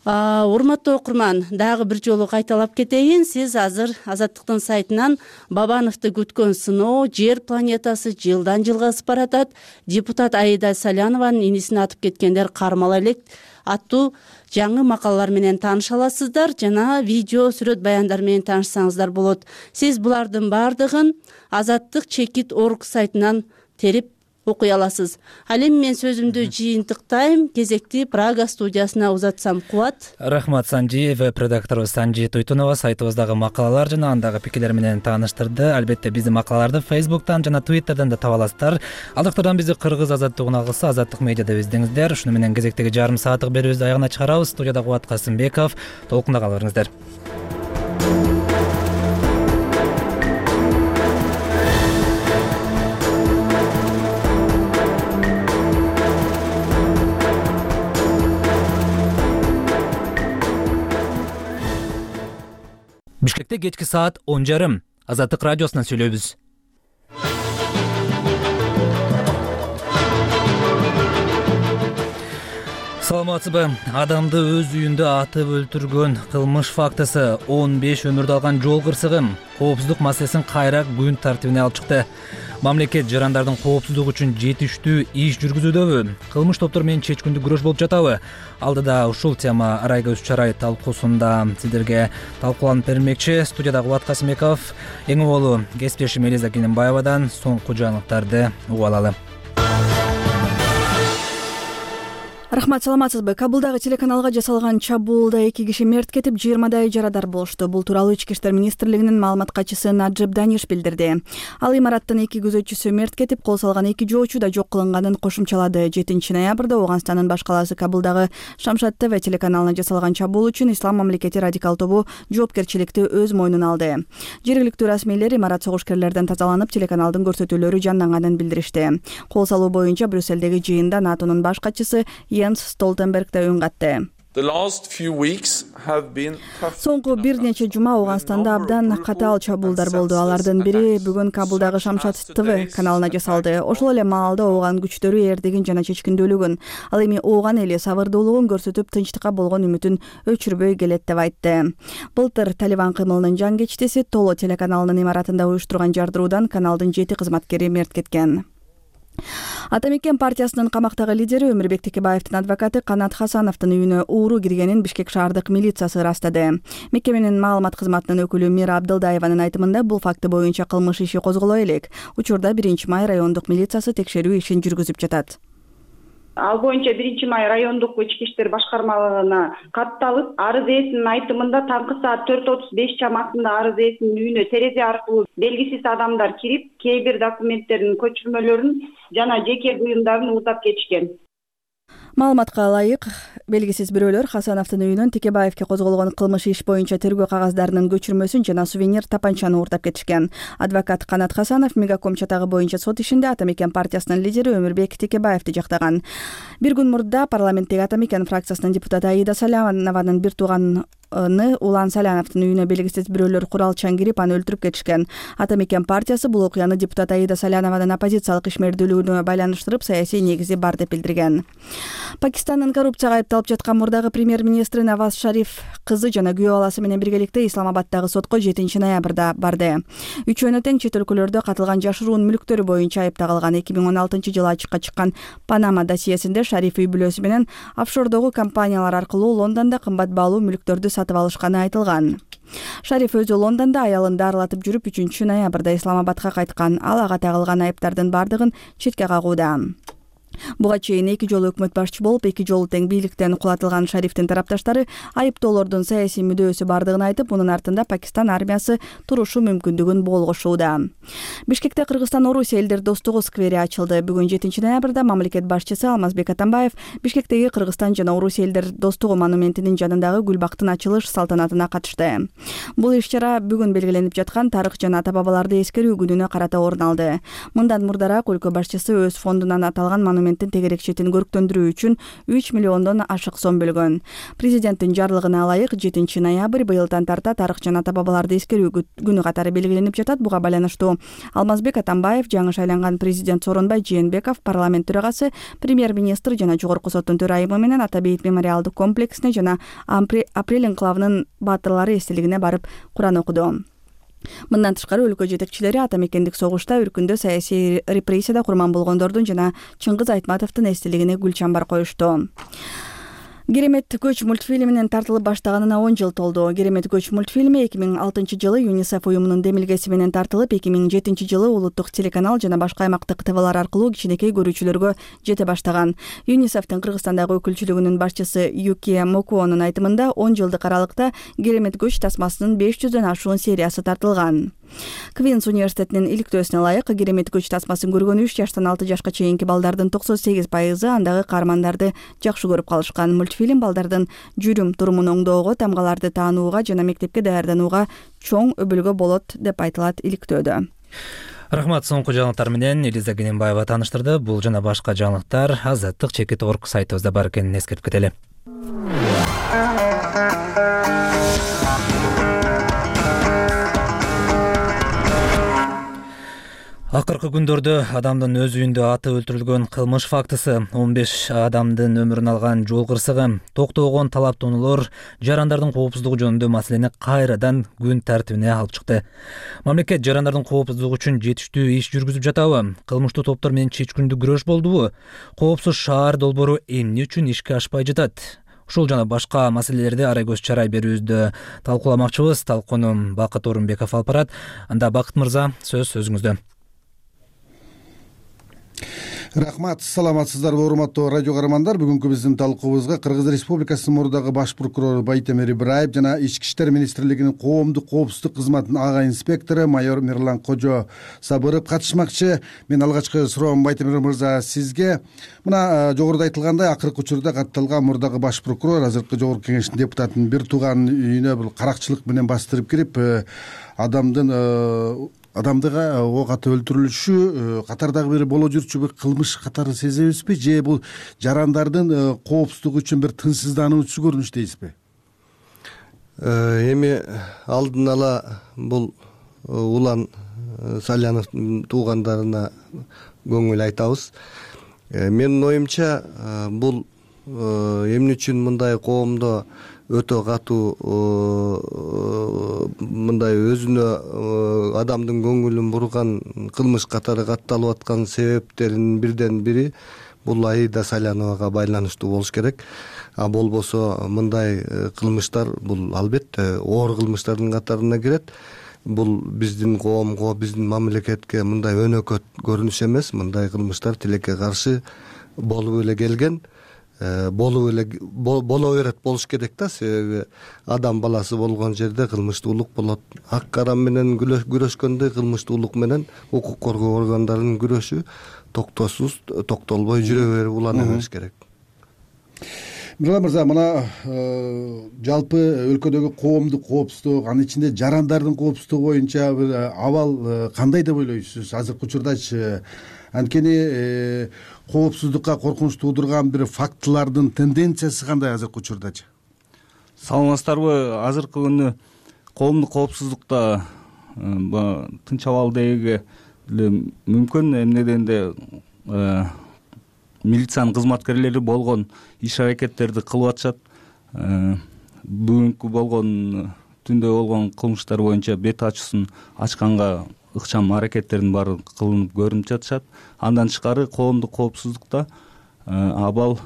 Урматтуу окурман, дагы бир жолу кайталап кетейин. Сиз азыр Азаттыктын сайтынан Бабановду күткөн сыноо, жер планетасы жылдан жылга ысып баратат, депутат Аида Салянованын инисин атып кеткендер кармала элек аттуу жаңы макалалар менен тааныша аласыздар жана видео сүрөт баяндар менен таанышсаңыздар болот. Сиз булардын баардыгын Азаттык чекит точка орг сайтынан терип окуй аласыз. Ал эми мен сөзүмдү жыйынтыктайм, кезекти Прага студиясына узатсам. Кубат. Рахмат Санжиев, редакторубуз Санжи Тойтунова сайтыбыздагы макалалар жана андагы пикирлер менен тааныштырды. Албетте биздин макалаларды Facebook'тан жана Twitter'дан да таба аласыздар. Алдыктардан бизди Кыргыз азаттыгына кылса, Азаттык медиада издеңиздер. Ушуну менен кезектеги жарым сааттык берүүбүздү аягына чыгарабыз. Студияда Кубат Касымбеков. Толкунда кала бериңиздер. Бишкекте кечки саат он жарым. Азаттык радиосунан сүйлөйбүз. Саламатсызбы? Адамды өз үйүндө атып өлтүргөн кылмыш фактысы, он беш өмүрдү алган жол кырсыгы коопсуздук маселесин кайра күн тартибине алып чыкты. Мамлекет жарандардын коопсуздугу үчүн жетиштүү иш жүргүзүүдөбү? Кылмыш топтор менен чечкиндүү күрөш болуп жатабы? Алдыда ушул тема Арайга үч чарай талкуусунда сиздерге талкууланып бермекчи. Студияда Кубат Касымбеков, эң оболу кесиптешим Элиза Кененбаевадан соңку жаңылыктарды угуп алалы. Рахмат, саламатсызбы? Кабулдагы телеканалга жасалган чабуулда эки киши мерт кетип, жыйырмадай жарадар болушту. Бул тууралуу Ички иштер министрлигинин маалымат катчысы Наджиб Даниш билдирди. Ал имараттын эки күзөтчүсү мерт кетип, кол салган эки жоочу да жок кылынганын кошумчалады. жетинчи ноябрда Ооганстандын баш калаасы Кабулдагы Шамшат ТВ телеканалына жасалган чабуул үчүн Ислам мамлекети радикал тобу жоопкерчиликти өз мойнуна алды. Жергиликтүү расмийлер имарат согушкерлерден тазаланып, телеканалдын көрсөтүүлөрү жанданганын билдиришти. Кол салуу боюнча Брюссельдеги жыйында НАТОнун баш катчысы Йенс Столтенберг да үн катты. Соңку бир нече жума Ооганстанда абдан катаал чабуулдар болду. Алардын бири бүгүн Кабулдагы Шамшат ТВ каналына жасалды. Ошол эле маалда Ооган күчтөрү эрдигин жана чечкиндүүлүгүн, ал эми Ооган эли сабырдуулугун көрсөтүп, тынчтыкка болгон үмүтүн өчүрбөй келет деп айтты. Былтыр Талибан кымылынын жан кечтеси Толо телеканалынын имаратында уюштурган жардыруудан каналдын жети кызматкери мерт кеткен. Атамекен партиясынын камактагы лидери Өмүрбек Текебаевдин адвокаты Канат Хасановдун үйүнө ууру киргенин Бишкек шаардык милициясы ырастады. Мекеменин маалымат кызматынын өкүлү Мира Абдылдаеванын айтымында бул факты боюнча кылмыш иши козголо элек. Учурда биринчи май райондук милициясы текшерүү ишин жүргүзүп жатат. Ал боюнча биринчи май райондук ички иштер башкармалыгына катталып, арыз ээсинин айтымында таңкы саат төрт отуз беш чамасында арыз ээсинин үйүнө терезе аркылуу белгисиз адамдар кирип, кээ бир документтердин көчүрмөлөрүн жана жеке буюмдарын уутап кетишкен. Маалыматка ылайык, белгисиз бирөөлөр Хасановдун үйүнөн Текебаевке козголгон кылмыш иш боюнча тергөө кагаздарынын көчүрмөсүн жана сувенир тапанчаны уурдап кетишкен. Адвокат Канат Хасанов Мегаком чатагы боюнча сот ишинде Атамекен партиясынын лидери Өмүрбек Текебаевди жактаган. Бир күн мурда парламенттеги Атамекен фракциясынын депутаты Аида Салянованын бир тууганы Улан Саляновдун үйүнө белгисиз бирөөлөр куралчан кирип, аны өлтүрүп кетишкен. Атамекен партиясы бул окуяны депутат Аида Салянованын оппозициялык ишмердүүлүгүнө байланыштырып, саясий негизи бар деп билдирген. Пакистандын коррупцияга айыпталып жаткан мурдагы премьер-министри Наваз Шариф кызы жана күйөө баласы менен биргеликте Исламабаддагы сотко жетинчи ноябрда барды. Үчөөнө тең чет өлкөлөрдө катылган жашыруун мүлктөрү боюнча айыпталган. эки миң он алтынчы жылы ачыкка чыккан Панама досьесинде Шариф үй бүлөсү менен офшордогу компаниялар аркылуу Лондондо кымбат баалуу мүлктөрдү сатып алышканы айтылган. Шариф өзү Лондондо аялын дарылатып жүрүп, үчүнчү ноябрда Исламабадга кайткан. Ал ага тагылган айыптардын бардыгын четке кагууда. Буга чейин эки жолу өкмөт башчы болуп, эки жолу тең бийликтен кулатылган Шарифтин тарапташтары айыптоолордун саясий мүдөөсү бардыгын айтып, мунун артында Пакистан армиясы турушу мүмкүндүгүн болгошууда. Бишкекте Кыргызстан-Орусия элдер достугу сквери ачылды. Бүгүн жетинчи ноябрда мамлекет башчысы Алмазбек Атамбаев Бишкектеги Кыргызстан жана Орусия элдер достугу монументинин жанындагы гүл бактын ачылыш салтанатына катышты. Бул иш-чара бүгүн белгиленип жаткан тарых жана ата бабаларды эскерүү күнүнө карата орун алды. Мындан мурдараак өлкө башчысы өз фондунан аталган монументтин тегерек четин көрктөндүрүү үчүн үч миллиондон ашык сом бөлгөн. Президенттин жарлыгына ылайык жетинчи ноябрь быйылдан тарта тарых жана ата бабаларды эскерүү күнү катары белгиленип жатат. Буга байланыштуу Алмазбек Атамбаев, жаңы шайланган президент Сооронбай Жээнбеков, парламент төрагасы, премьер-министр жана жогорку соттун төрайымы менен Ата бейит мемориалдык комплексине жана Апрель энклавынын баатырлары эстелигине барып Куран окуду. Мындан тышкары өлкө жетекчилери Атамекендик согушта өркүндө саясий репрессияда курман болгондордун жана Чыңгыз Айтматовдун эстелигине гүл чамбар коюшту. Керемет көч мультфильминин тартылып баштаганына он жыл толду. Керемет көч мультфильми эки миң алтынчы жылы ЮНИСЕФ уюмунун демилгеси менен тартылып, эки миң жетинчи жылы улуттук телеканал жана башка аймактык ТВлар аркылуу кичинекей көрүүчүлөргө жете баштаган. ЮНИСЕФтин Кыргызстандагы өкүлчүлүгүнүн башчысы Юкия Мокуонун айтымында он жылдык аралыкта Керемет көч тасмасынын беш жүздөн ашуун сериясы тартылган. Квинс университетинин иликтөөсүнө ылайык Керемет көч тасмасын көргөн үч жаштан алты жашка чейинки балдардын токсон сегиз пайызы андагы каармандарды жакшы көрүп калышкан. Мультфильм балдардын жүрүм турумун оңдоого, тамгаларды таанууга жана мектепке даярданууга чоң өбөлгө болот деп айтылат иликтөөдө. Рахмат, соңку жаңылыктар менен Элиза Кененбаева тааныштырды. Бул жана башка жаңылыктар азаттык чекит орг сайтыбызда бар экенин эскертип кетели. Акыркы күндөрдө адамдын өз үйүндө атып өлтүрүлгөн кылмыш фактысы, он беш адамдын өмүрүн алган жол кырсыгы, токтогон талаптоонуулор жарандардын коопсуздугу жөнүндө маселени кайрадан күн тартибине алып чыкты. Мамлекет жарандардын коопсуздугу үчүн жетиштүү иш жүргүзүп жатабы? Кылмыштуу топтор менен чечкүндүү күрөш болдубу? Коопсуз шаар долбоору эмне үчүн ишке ашпай жатат? Ушул жана башка маселелерди арай көз чарай берүүбүздө талкууламакчыбыз. Талкууну Бакыт Орунбеков алып барат. Анда Бакыт мырза, сөз өзүңүздө. Рахмат, саламатсыздарбы урматтуу радио каармандар. Бүгүнкү биздин талкуубузга Кыргыз Республикасынын мурдагы баш прокурору Байтемир Ибраев жана Ички иштер министрлигинин коомдук коопсуздук кызматынын ага инспектору майор Мирлан Кожо Сабыров катышмакчы. Мен алгачкы суроом Байтемир мырза сизге. Мына жогоруда айтылгандай, акыркы учурда катталган мурдагы баш прокурор азыркы жогорку кеңештин депутатынын бир тууганын үйүнө бул каракчылык менен бастырып кирип, адамдын адамдыга ок атып өлтүрүлүшү катардагы бир боло жүрчү бир кылмыш катары сезебизби, же бул жарандардын коопсуздугу үчүн бир тынчсыздануучу көрүнүш дейсизби? Эми алдын ала бул Улан Саляновдун туугандарына көңүл айтабыз. Менин оюмча, бул эмне үчүн мындай коомдо өтө катуу мындай өзүнө адамдын көңүлүн бурган кылмыш катары катталып аткан себептеринин бирден бири бул Аида Саляновага байланыштуу болуш керек. А болбосо мындай кылмыштар бул албетте оор кылмыштардын катарына кирет. Бул биздин коомго, биздин мамлекетке мындай өнөкөт көрүнүш эмес. Мындай кылмыштар тилекке каршы болуп эле келген. болуп эле боло берет, болуш керек да, себеби адам баласы болгон жерде кылмыштуулук болот. Ак карам менен күрөшкөндө кылмыштуулук менен укук коргоо органдарынын күрөшү токтосуз, токтолбой жүрө берип улана бериш керек. Мирлан мырза, мына жалпы өлкөдөгү коомдук коопсуздук, анын ичинде жарандардын коопсуздугу боюнча бир абал кандай деп ойлойсуз азыркы учурдачы? Анткени коопсуздукка коркунуч туудурган бир фактылардын тенденциясы кандай азыркы учурдачы? Саламатсыздарбы? Азыркы күнү коомдук коопсуздукта тынч абал деги мүмкүн, эмне дегенде милициянын кызматкерлери болгон иш аракеттерди кылып атышат. Бүгүнкү болгон түндө болгон кылмыштар боюнча бет ачуусун ачканга ыкчам аракеттердин баары кылынып көрүнүп жатышат. Андан тышкары коомдук коопсуздукта абал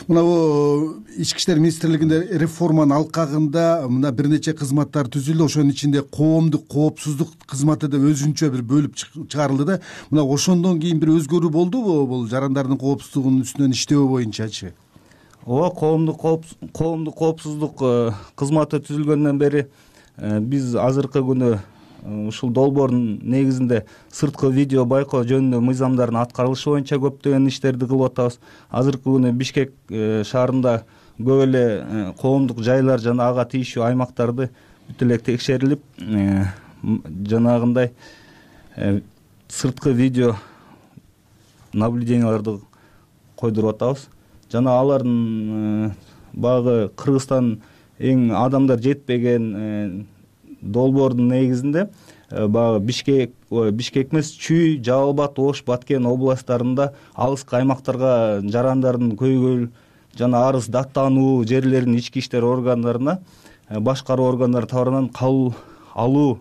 мына бул Ички иштер министрлигинде реформанын алкагында мына бир нече кызматтар түзүлдү. Ошонун ичинде коомдук коопсуздук кызматы деп өзүнчө бир бөлүп чыгарылды да. Мына ошондон кийин бир өзгөрүү болдубу бул жарандардын коопсуздугунун үстүнөн иштөө боюнчачы? Ооба, коомдук коомдук коопсуздук кызматы түзүлгөндөн бери биз азыркы күнү ушул долбоордун негизинде сырткы видео байкоо жөнүндө мыйзамдардын аткарылышы боюнча көптөгөн иштерди кылып атабыз. Азыркы күнү Бишкек шаарында көп эле коомдук жайлар жана ага тийиштүү аймактарды бүт эле текшерилип, жанагындай сырткы видео наблюденияларды койдуруп атабыз. Жана алардын багы Кыргызстан эң адамдар жетпеген долбоордун негизинде баягы Бишкек, Бишкек эмес, Чүй, Жалал Абад, Ош, Баткен областтарында алыскы аймактарга жарандардын көйгөй жана арыз даттануу жерлеринин ички иштер органдарына башкаруу органдары тарабынан кабыл алуу,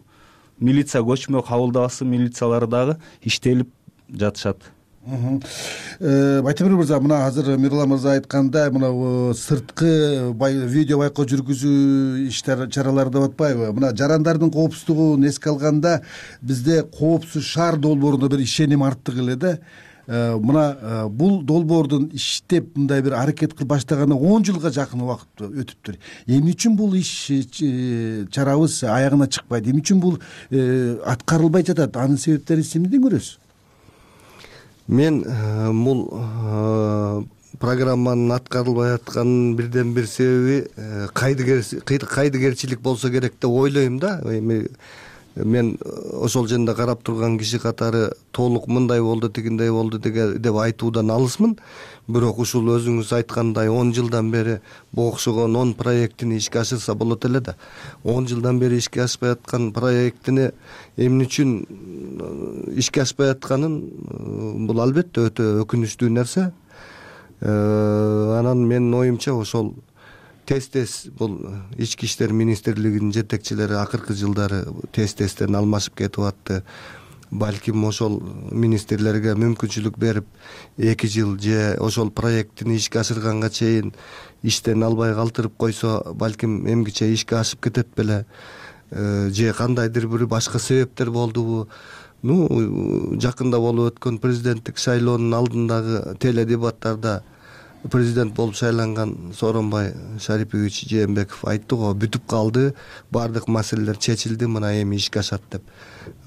милиция көчмө кабылдабасы милициялары дагы иштелип жатышат. Байтемир мырза, мына азыр Мирлан мырза айткандай, мына сырткы видео байкоо жүргүзүү иштер чаралары деп атпайбы? Мына жарандардын коопсуздугун эске алганда бизде коопсуз шаар долбооруна бир ишеним арттык эле да. Мына бул долбоордун иштеп мындай бир аракет кылып баштаганына он жылга жакын убакыт өтүптүр. Эмне үчүн бул иш чарабыз аягына чыкпайт? Эмне үчүн бул аткарылбай жатат? Анын себептерин сиз эмнеден көрөсүз? Мен бул программанын аткарылбай атканынын бирден бир себеби кайдыгерчилик болсо керек деп ойлойм да. Мен ошол жерде карап турган киши катары толук мындай болду, тигиндей болду деп айтуудан алысмын. Бирок ушул өзүңүз айткандай он жылдан бери бу окшогон он проектини ишке ашырса болот эле да. он жылдан бери ишке ашпай аткан проектини эмне үчүн ишке ашпай атканын бул албетте өтө өкүнүчтүү нерсе. Анан менин оюмча ошол тез-тез бул ички иштер министрлигинин жетекчилери акыркы жылдары тез-тезден алмашып кетип атты. Балким ошол министрлерге мүмкүнчүлүк берип эки жыл же ошол проектини ишке ашырганга чейин иштен албай калтырып койсо, балким эмгиче ишке ашып кетет беле, же кандайдыр бир башка себептер болдубу? Ну, жакында болуп өткөн президенттик шайлоонун алдындагы теледебаттарда президент болуп шайланган Сооронбай Шарипович Жээнбеков айтты го, бүтүп калды, баардык маселелер чечилди, мына эми ишке ашат деп.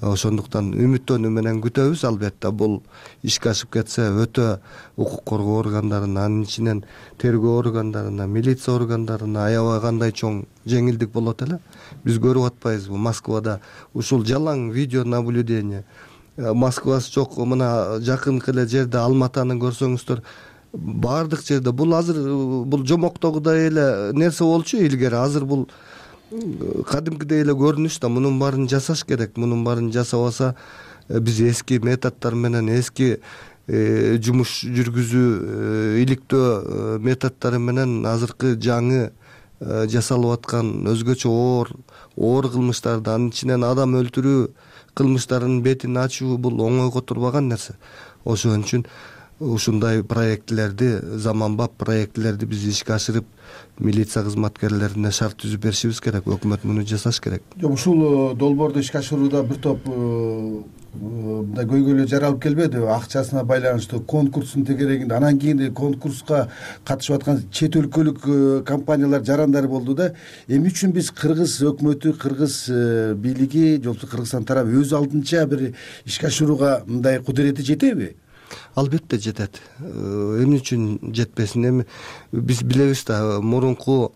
Ошондуктан үмүттөнүү менен күтөбүз. Албетте бул ишке ашып кетсе өтө укук коргоо органдарына, анын ичинен тергөө органдарына, милиция органдарына аябай кандай чоң жеңилдик болот эле. Биз көрүп атпайбызбы Москвада ушул жалаң видео наблюдение. Москвасы жок, мына жакынкы эле жерде Алматаны көрсөңүздөр, баардык жерде бул азыр бул жомоктогудай эле нерсе болчу илгери. Азыр бул кадимкидей эле көрүнүш да, мунун баарын жасаш керек. Мунун баарын жасабаса биз эски методдор менен, эски жумуш жүргүзүү иликтөө методдору менен азыркы жаңы жасалып аткан өзгөчө оор оор кылмыштарды, анын ичинен адам өлтүрүү кылмыштарынын бетин ачуу бул оңойго турбаган нерсе. Ошон үчүн ушундай проектилерди, заманбап проектилерди биз ишке ашырып, милиция кызматкерлерине шарт түзүп беришибиз керек. Өкмөт муну жасаш керек. Жок, ушул долбоорду ишке ашырууда бир топ мындай көйгөйлөр жаралып келбеди? Акчасына байланыштуу, конкурстун тегерегинде, анан кийин конкурска катышып аткан чет өлкөлүк компаниялар жарандар болду да. Эмне үчүн биз кыргыз өкмөтү, кыргыз бийлиги, же болбосо Кыргызстан тарабы өз алдынча бир ишке ашырууга мындай кудурети жетеби? Албетте жетет. Эмне үчүн жетпесин? Эми биз билебиз да, мурунку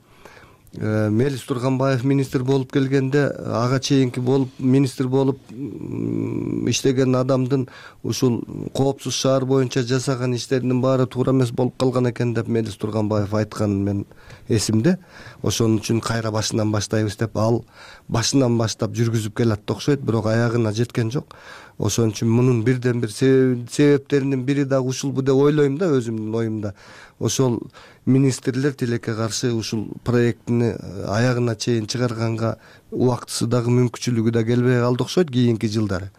Мелис Турганбаев министр болуп келгенде, ага чейинки болуп министр болуп иштеген адамдын ушул коопсуз шаар боюнча жасаган иштеринин баары туура эмес болуп калган экен деп Мелис Турганбаев айтканын мен эсимде. Ошон үчүн кайра башынан баштайбыз деп, ал башынан баштап жүргүзүп келатты окшойт, бирок аягына жеткен жок. Ошон үчүн мунун бирден бир себептеринин бири дагы ушулбу деп ойлойм да, өзүмдүн оюмда. Ошол министрлер тилекке каршы ушул проектини аягына чейин чыгарганга убактысы дагы мүмкүнчүлүгү да келбей калды окшойт кийинки жылдары.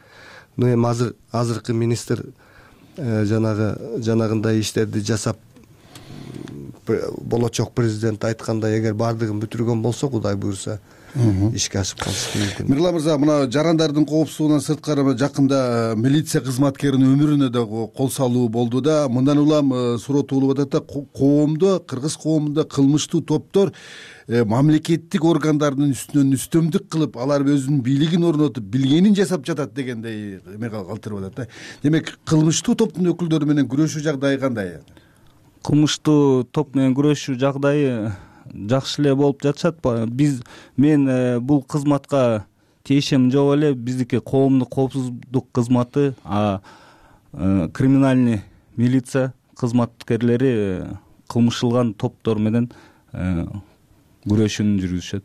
Ну эми азыр азыркы министр жанагы жанагындай иштерди жасап, болочок президент айткандай, эгер баардыгын бүтүргөн болсо, Кудай буйрса, ишке ашып калышы мүмкүн. Мирлан мырза, мына жарандардын коопсуздугунан сырткары жакында милиция кызматкеринин өмүрүнө да кол салуу болду да. Мындан улам суротуулуп атат да, коомдо, кыргыз коомунда кылмыштуу топтор мамлекеттик органдардын үстүнөн үстөмдүк кылып, алар өзүнүн бийлигин орнотуп, билгенин жасап жатат дегендей эме калтырып атат да. Демек, кылмыштуу топтун өкүлдөрү менен күрөшүү жагдайы кандай? Кылмыштуу топ менен күрөшүү жагдайы жакшы эле болуп жатышат. Биз мен бул кызматка тиешем жок эле. Биздики коомдук коопсуздук кызматы, а криминальный милиция кызматкерлери кылмыш кылган топтор менен күрөшүүнү жүргүзүшөт.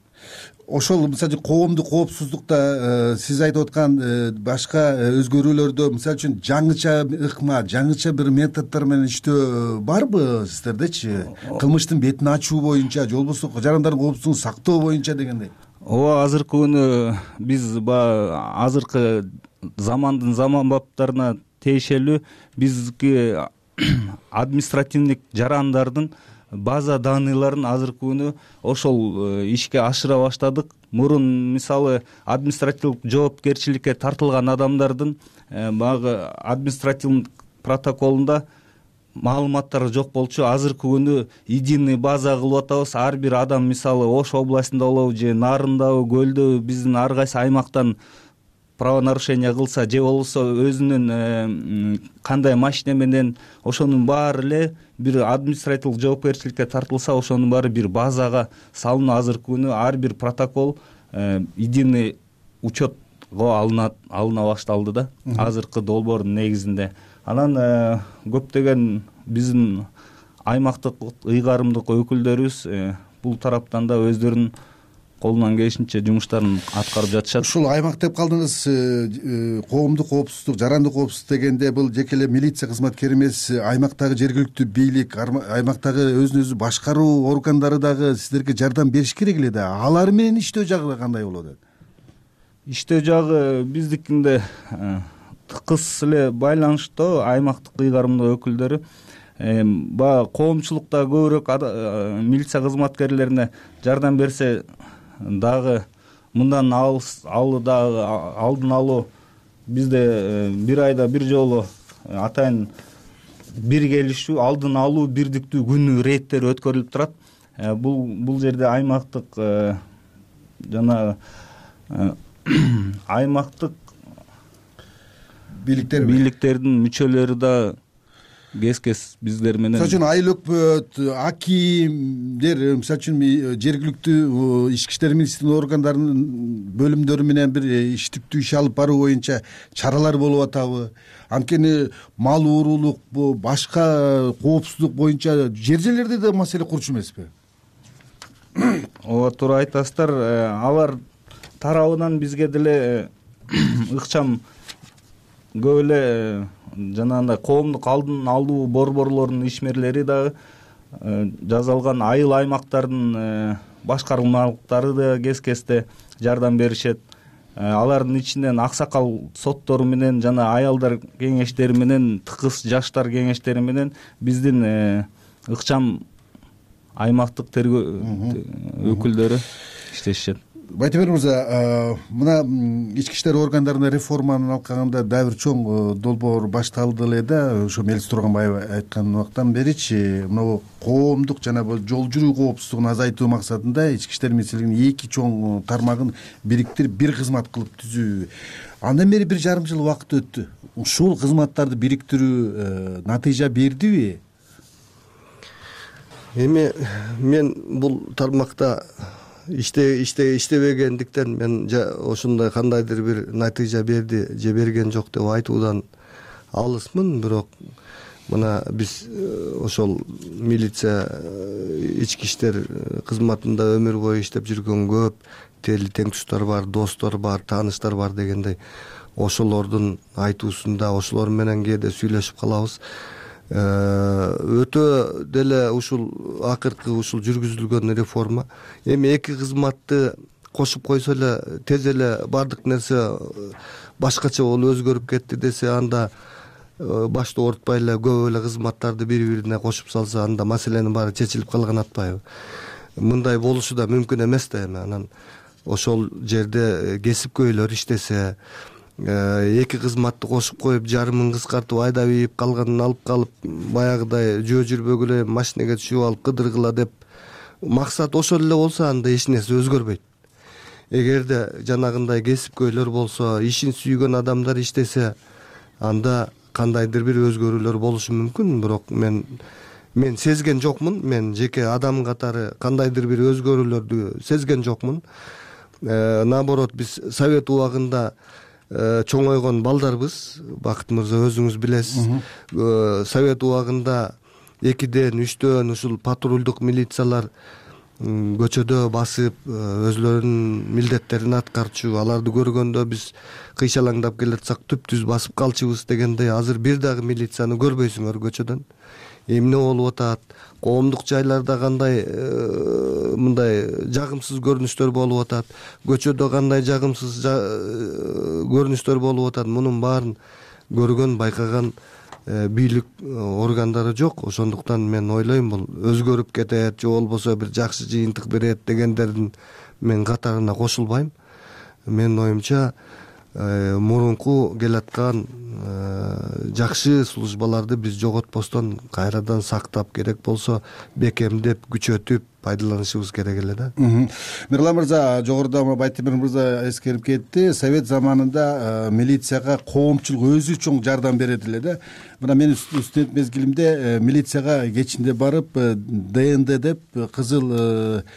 Ошол мисалы коомдук коопсуздукта сиз айтып аткан башка өзгөрүүлөрдө, мисалы үчүн жаңыча ыкма, жаңыча бир методдор менен иштөө барбы сиздердечи? Кылмыштын бетин ачуу боюнча, же болбосо жарандардын коопсуздугун сактоо боюнча дегендей. Ооба, азыркы күнү биз баягы азыркы замандын заманбаптарына тиешелүү бизги административдик жарандардын база данныйларын азыркы күнү ошол ишке ашыра баштадык. Мурун мисалы административдик жоопкерчиликке тартылган адамдардын баягы административдик протоколунда маалыматтары жок болчу. Азыркы күнү единый база кылып атабыз. Ар бир адам мисалы Ош областында болобу же Нарындабы, Көлдөбү биздин ар кайсы аймактан правонарушение кылса же болбосо өзүнүн кандай машина менен ошонун баары эле бир административдик жоопкерчиликке тартылса ошонун баары бир базага салынып азыркы күнү ар бир протокол единый учетко алынат алына башталды да азыркы долбоордун негизинде. Анан көптөгөн биздин аймактык ыйгарымдык өкүлдөрүбүз бул тараптан да өздөрүнүн колунан келишинче жумуштарын аткарып жатышат. Ушул аймак деп калдыңыз, коомдук коопсуздук, жарандык коопсуздук дегенде бул жеке эле милиция кызматкери эмес, аймактагы жергиликтүү бийлик, аймактагы өзүн өзү башкаруу органдары дагы сиздерге жардам бериш керек эле да. Алар менен иштөө жагы кандай болот? Иштөө жагы биздикинде тыкыз эле байланыштуу аймактык ыйгарымдык өкүлдөрү баягы коомчулукта көбүрөөк милиция кызматкерлерине жардам берсе дагы мындан алуу дагы алдын алуу бизде бир айда бир жолу атайын бир келишүү алдын алуу бирдиктүү күнү рейдтери өткөрүлүп турат. Бул бул жерде аймактык жана аймактык бийликтер бийликтердин мүчөлөрү да кез-кез биздер менен. Мисалы үчүн айыл өкмөт, акимдер, мисалы үчүн жергиликтүү ички иштер министрлигинин органдарынын бөлүмдөрү менен бир иштиктүү иш алып баруу боюнча чаралар болуп атабы? Анткени мал уурулук, башка коопсуздук боюнча жер жерлерде да маселе курчу эмеспи? Ооба, туура айтасыздар. Алар тарабынан бизге деле ыкчам көп эле жанагындай коомдук алдын алуу борборлорунун ишмерлери дагы жазалган айыл аймактардын башкармалыктары да кез-кезде жардам беришет. Алардын ичинен аксакал соттору менен жана аялдар кеңештери менен, тыкыз жаштар кеңештери менен биздин ыкчам аймактык тергөө өкүлдөрү иштешет. Байтемир мырза, мына ички иштер органдарына реформаны алкаганда дагы бир чоң долбоор башталды эле да. Ошо Мелис Турганбаев айткан убактан беричи мына коомдук жана жол жүрүү коопсуздугун азайтуу максатында ички иштер министрлигинин эки чоң тармагын бириктирип бир кызмат кылып түзүү. Андан бери бир жарым жыл убакыт өттү. Ушул кызматтарды бириктирүү натыйжа бердиби? Эми мен бул тармакта иште иште иштебегендиктен мен ошондой кандайдыр бир натыйжа берди же берген жок деп айтуудан алысмын. Бирок мына биз ошол милиция ички иштер кызматында өмүр бою иштеп жүргөн көп тели теңтуштар бар, достор бар, тааныштар бар дегендей ошолордун айтуусунда ошолор менен кээде сүйлөшүп калабыз. Өтө деле ушул акыркы ушул жүргүзүлгөн реформа эми эки кызматты кошуп койсо эле тез эле баардык нерсе башкача болуп өзгөрүп кетти десе, анда башты оорутпай эле көп эле кызматтарды бири бирине кошуп салса, анда маселенин баары чечилип калган атпайбы? Мындай болушу да мүмкүн эмес да. Эми анан ошол жерде кесипкөйлөр иштесе, эки кызматты кошуп коюп жарымын кыскартып айдап ийип калганын алып калып баягыдай жөө жүрбөгүлө машинеге түшүп алып кыдыргыла деп максат ошол эле болсо, анда эч нерсе өзгөрбөйт. Эгерде жанагындай кесипкөйлөр болсо, ишин сүйгөн адамдар иштесе, анда кандайдыр бир өзгөрүүлөр болушу мүмкүн. Бирок мен мен сезген жокмун. Мен жеке адам катары кандайдыр бир өзгөрүүлөрдү сезген жокмун. Наоборот, биз совет убагында чоңойгон балдарбыз. Бакыт мырза, өзүңүз билесиз. Совет убагында экиден, үчтөн ушул патрулдук милициялар көчөдө басып, өзлөрүнүн милдеттерин аткарчу. Аларды көргөндө биз кыйшалаңдап келатсак түп-түз басып калчубуз дегендей. Азыр бир дагы милицияны көрбөйсүңөр көчөдөн. Эмне болуп атат? Коомдук жайларда кандай мындай жагымсыз көрүнүштөр болуп атат? Көчөдө кандай жагымсыз көрүнүштөр болуп атат? Мунун баарын көргөн байкаган бийлик органдары жок. Ошондуктан мен ойлойм бул өзгөрүп кетет же болбосо бир жакшы жыйынтык берет дегендердин мен катарына кошулбайм. Менин оюмча мурунку келаткан жакшы службаларды биз жоготпостон кайрадан сактап, керек болсо бекемдеп, күчөтүп пайдаланышыбыз керек эле да. Мирлан мырза, жогоруда Байтемир мырза эскерип кетти. Совет заманында милицияга коомчулук өзү чоң жардам берет эле да. Мына мен студент мезгилимде милицияга кечинде барып ДНД деп кызыл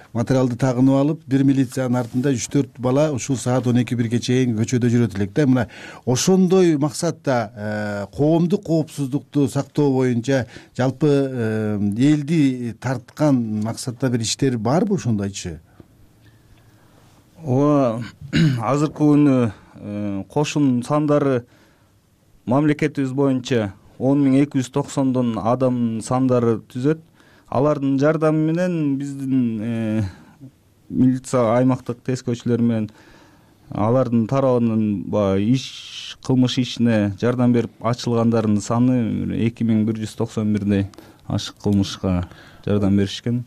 материалды тагынып алып, бир милициянын артында үч төрт бала ушул саат он эки бирге чейин көчөдө жүрөт элек да. Мына ошондой максатта коомдук коопсуздукту сактоо боюнча жалпы элди тарткан максатта бир иштер барбы, ошондо айтчы? Ооба, азыркы күнү кошун сандары мамлекетибиз боюнча он миң эки жүз токсондон адам сандары түзөт. Алардын жардамы менен биздин милиция аймактык тескөөчүлөр менен алардын тарабынан баягы иш кылмыш ишине жардам берип ачылгандардын саны эки миң бир жүз токсон бирдей ашык кылмышка жардам беришкен.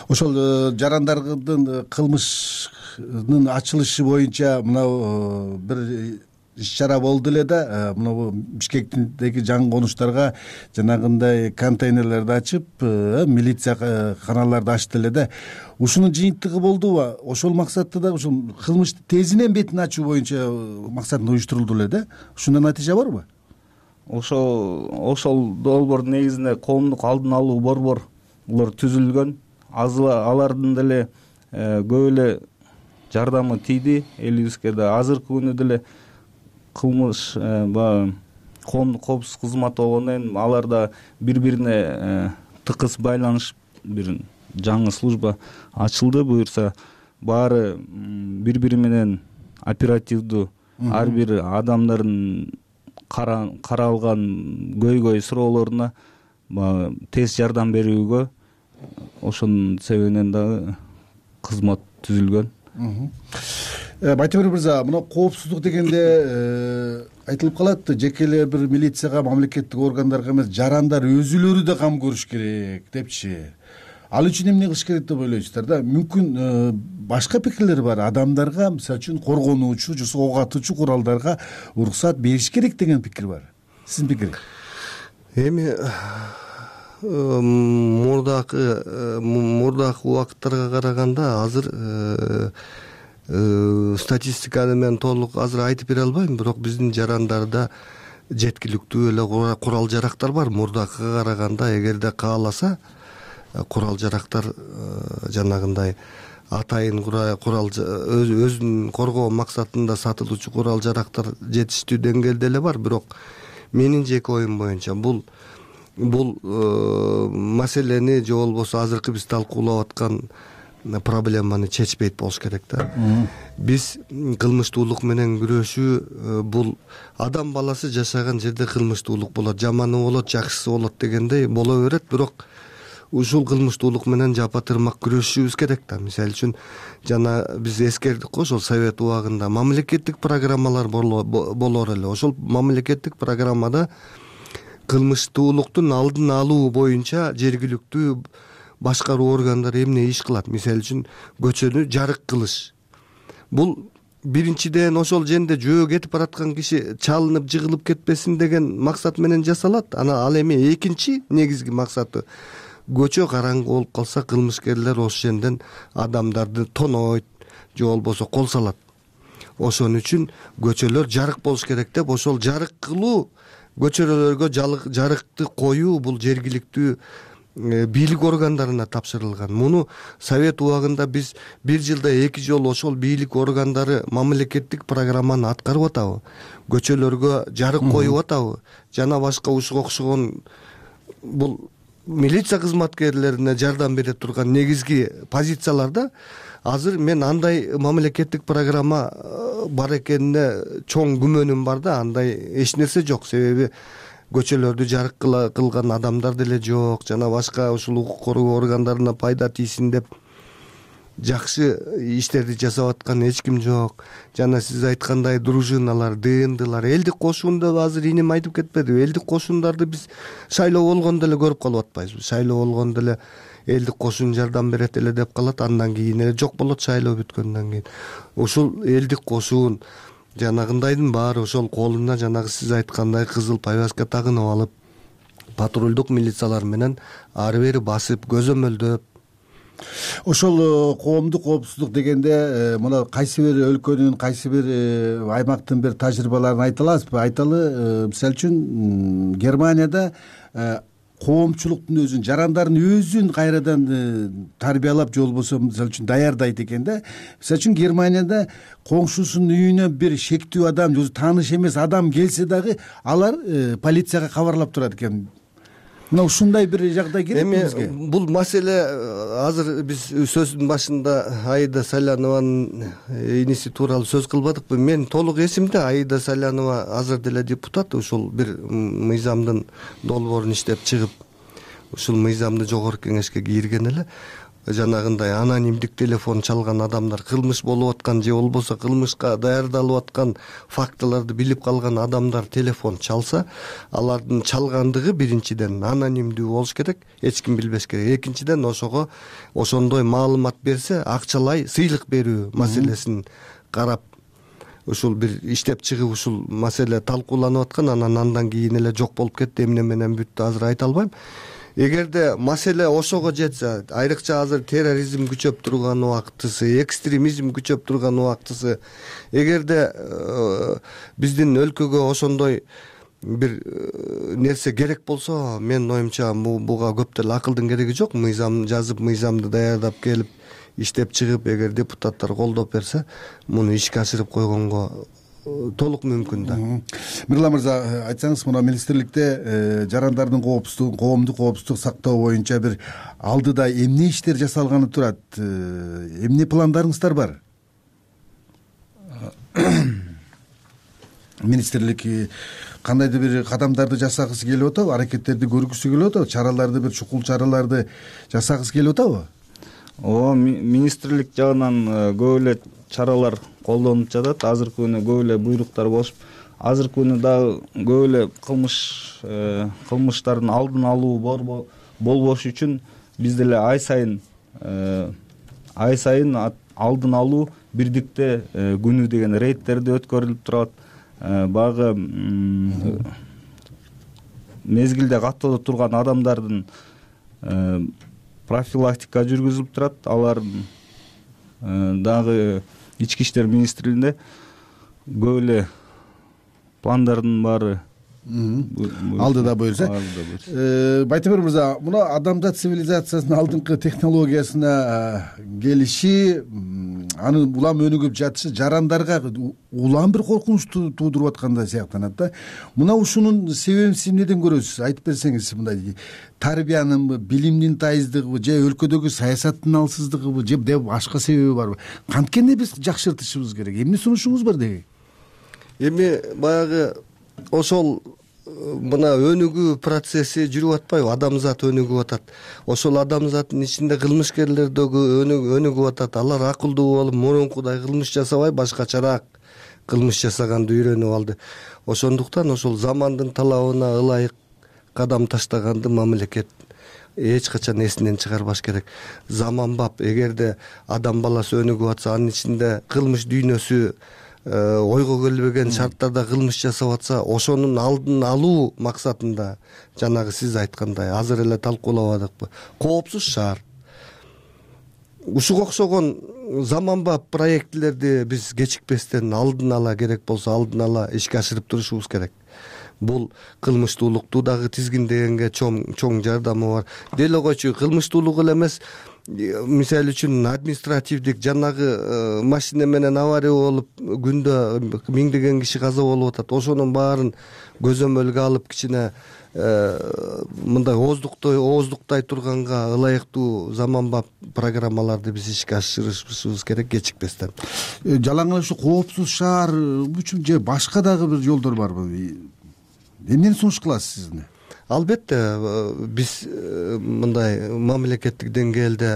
Ошол жарандардын кылмышынын ачылышы боюнча мына бир иш-чара болду эле да. Мына Бишкектиги жаңы конуштарга жанагындай контейнерлерди ачып, милиция каналарды ачты эле да. Ушунун жыйынтыгы болдубу? Ошол максатта да ушул кылмышты тезинен бетин ачуу боюнча максатында уюштурулду эле да. Ушундан натыйжа барбы? Ошол ошол долбоордун негизинде коомдук алдын алуу борборлор түзүлгөн. Алардын деле көп эле жардамы тийди элибизге да. Азыркы күнү деле кылмыш баягы коомдук коопсуздук кызматы болгондон кийин аларда бири-бирине тыкыз байланыш бир жаңы служба ачылды. Буюрса баары бири-бири менен оперативдүү ар бир адамдардын каралган көйгөй суроолоруна тез жардам берүүгө ошонун себебинен дагы кызмат түзүлгөн. Байтемир мырза, мына коопсуздук дегенде айтылып калат, жеке эле бир милицияга, мамлекеттик органдарга эмес, жарандар өзүлөрү да кам көрүш керек депчи. Ал үчүн эмне кылыш керек деп ойлойсуздар да? Мүмкүн башка пикирлер бар. Адамдарга, мисалы үчүн, коргонуучу же ок атуучу куралдарга уруксат бериш керек деген пикир бар. Сиздин пикириңиз? Эми мурдакы мурдакы убакыттарга караганда азыр статистиканы мен толук азыр айтып бере албайм, бирок биздин жарандарда жеткиликтүү эле курал жарактар бар. Мурдакыга караганда эгерде кааласа курал жарактар жанагындай атайын курал өзүн коргоо максатында сатылуучу курал жарактар жетиштүү деңгээлде эле бар. Бирок менин жеке оюм боюнча бул бул маселени же болбосо азыркы биз талкуулап аткан проблеманы чечпейт болуш керек да. Биз кылмыштуулук менен күрөшүү бул адам баласы жашаган жерде кылмыштуулук болот, жаманы болот, жакшысы болот дегендей боло берет. Бирок ушул кылмыштуулук менен жапа тырмак күрөшүшүбүз керек да. Мисалы үчүн жана биз эскердик го, ошол Совет убагында мамлекеттик программалар болор эле. Ошол мамлекеттик программада кылмыштуулуктун алдын алуу боюнча жергиликтүү башкаруу органдары эмне иш кылат? Мисалы үчүн көчөнү жарык кылыш. Бул биринчиден ошол жерде жөө кетип бараткан киши чалынып жыгылып кетпесин деген максат менен жасалат. Ана ал эми экинчи негизги максаты көчө караңгы болуп калса кылмышкерлер ошол жерден адамдарды тонойт же болбосо кол салат. Ошон үчүн көчөлөр жарык болуш керек деп ошол жарык кылуу, көчөлөргө жарыкты коюу бул жергиликтүү бийлик органдарына тапшырылган. Муну Совет убагында биз бир жылда эки жолу ошол бийлик органдары мамлекеттик программаны аткарып атабы? Көчөлөргө жарык коюп атабы? Жана башка ушуга окшогон бул милиция кызматкерлерине жардам бере турган негизги позицияларда азыр мен андай мамлекеттик программа бар экенине чоң күмөнүм бар да. Андай эч нерсе жок. Себеби көчөлөрдү жарык кылган адамдар деле жок. Жана башка ушул укук коргоо органдарына пайда тийсин деп жакшы иштерди жасап аткан эч ким жок. Жана сиз айткандай дружиналар, ДНДлар, элдик кошуунду азыр инем айтып кетпедиби? Элдик кошуундарды биз шайлоо болгондо эле көрүп калып атпайбызбы? Шайлоо болгондо эле элдик кошун жардам берет эле деп калат, андан кийин эле жок болот шайлоо бүткөндөн кийин. Ушул элдик кошуун жанагындайдын баары ошол колуна жанагы сиз айткандай кызыл повязка тагынып алып, патрулдук милициялар менен ары бери басып, көзөмөлдөп. Ошол коомдук коопсуздук дегенде мына кайсы бир өлкөнүн, кайсы бир аймактын бир тажрыйбаларын айта аласызбы? Айталы, мисалы үчүн Германияда коомчулуктун өзүн, жарандардын өзүн кайрадан тарбиялап, же болбосо мисалы үчүн даярдайт экен да. Мисалы үчүн Германияда коңшусунун үйүнө бир шектүү адам, же тааныш эмес адам келсе дагы алар полицияга кабарлап турат экен. Мына ушундай бир жагдай керекпи бизге? Бул маселе азыр биз сөздүн башында Аида Салянованын иниси тууралуу сөз кылбадыкпы? Мен толук эсимде, Аида Салянова азыр деле депутат, ушул бир мыйзамдын долбоорун иштеп чыгып, ушул мыйзамды жогорку кеңешке кирген эле. Жанагындай анонимдик телефон чалган адамдар, кылмыш болуп аткан же болбосо кылмышка даярдалып аткан фактыларды билип калган адамдар телефон чалса, алардын чалгандыгы биринчиден анонимдүү болуш керек, эч ким билбеш керек. Экинчиден ошого ошондой маалымат берсе, акчалай сыйлык берүү маселесин карап, ушул бир иштеп чыгып ушул маселе талкууланып аткан, анан андан кийин эле жок болуп кетти. Эмне менен бүттү азыр айта албайм. Эгерде маселе ошого жетсе, айрыкча азыр терроризм күчөп турган убактысы, экстремизм күчөп турган убактысы, эгерде биздин өлкөгө ошондой бир нерсе керек болсо, менин оюмча буга көп деле акылдын кереги жок. Мыйзам жазып, мыйзамды даярдап келип, иштеп чыгып, эгер депутаттар колдоп берсе, муну ишке ашырып койгонго толук мүмкүн да. Мирлан мырза, айтсаңыз, мына министрликте жарандардын коопсуздугун, коомдук коопсуздук сактоо боюнча бир алдыда эмне иштер жасалганы турат? Эмне пландарыңыздар бар? Министрлик кандайдыр бир кадамдарды жасагысы келип атабы, аракеттерди көргүсү келип атабы, чараларды, бир чукул чараларды жасагысы келип атабы? Ооба, министрлик жагынан көп эле чаралар колдонуп жатат. Азыркы күнү көп эле буйруктар болуп, азыркы күнү дагы көп эле кылмыш кылмыштардын алдын алуу болбош үчүн биз деле ай сайын ай сайын алдын алуу бирдикте күнү деген рейдтерди өткөрүлүп турат. Багы мезгилде каттоодо турган адамдардын профилактика жүргүзүлүп турат. Алар дагы Ички иштер министрлигинде көп эле пландардын баары алдыда буюрса. Байтемир мырза, мына адамзат цивилизациясынын алдыңкы технологиясына келиши, анын улам өнүгүп жатышы жарандарга улам бир коркунуч туудуруп аткандай сыяктанат да. Мына ушунун себебин сиз эмнеден көрөсүз? Айтып берсеңиз, мындай тарбиянынбы, билимдин тайыздыгыбы, же өлкөдөгү саясаттын алсыздыгыбы, же башка себеби барбы? Канткенде биз жакшыртышыбыз керек? Эмне сунушуңуз бар деги? Эми баягы ошол мына өнүгүү процесси жүрүп атпайбы? Адамзат өнүгүп атат. Ошол адамзаттын ичинде кылмышкерлер дагы өнүгүп атат. Алар акылдуу болуп, мурункудай кылмыш жасабай, башкачараак кылмыш жасаганды үйрөнүп алды. Ошондуктан ошол замандын талабына ылайык кадам таштаганды мамлекет эч качан эсинен чыгарбаш керек. Заманбап, эгерде адам баласы өнүгүп атса, анын ичинде кылмыш дүйнөсү ойго келбеген шарттарда кылмыш жасап атса, ошонун алдын алуу максатында жанагы сиз айткандай азыр эле талкуулабадыкпы? Коопсуз шаар. Ушуга окшогон заманбап проектилерди биз кечикпестен алдын ала керек болсо алдын ала ишке ашырып турушубуз керек. Бул кылмыштуулукту дагы тизгиндегенге чоң чоң жардамы бар. Деле койчу, кылмыштуулук эле эмес, мисалы үчүн административдик жанагы машина менен авария болуп күндө миңдеген киши каза болуп атат. Ошонун баарын көзөмөлгө алып кичине мындай ооздуктой ооздуктай турганга ылайыктуу заманбап программаларды биз ишке ашырышыбыз керек кечикпестен. Жалаң эле ушу коопсуз шаар үчүн же башка дагы бир жолдор барбы? Эмнени сунуш кыласыз сиз? албетте биз мындай мамлекеттик деңгээлде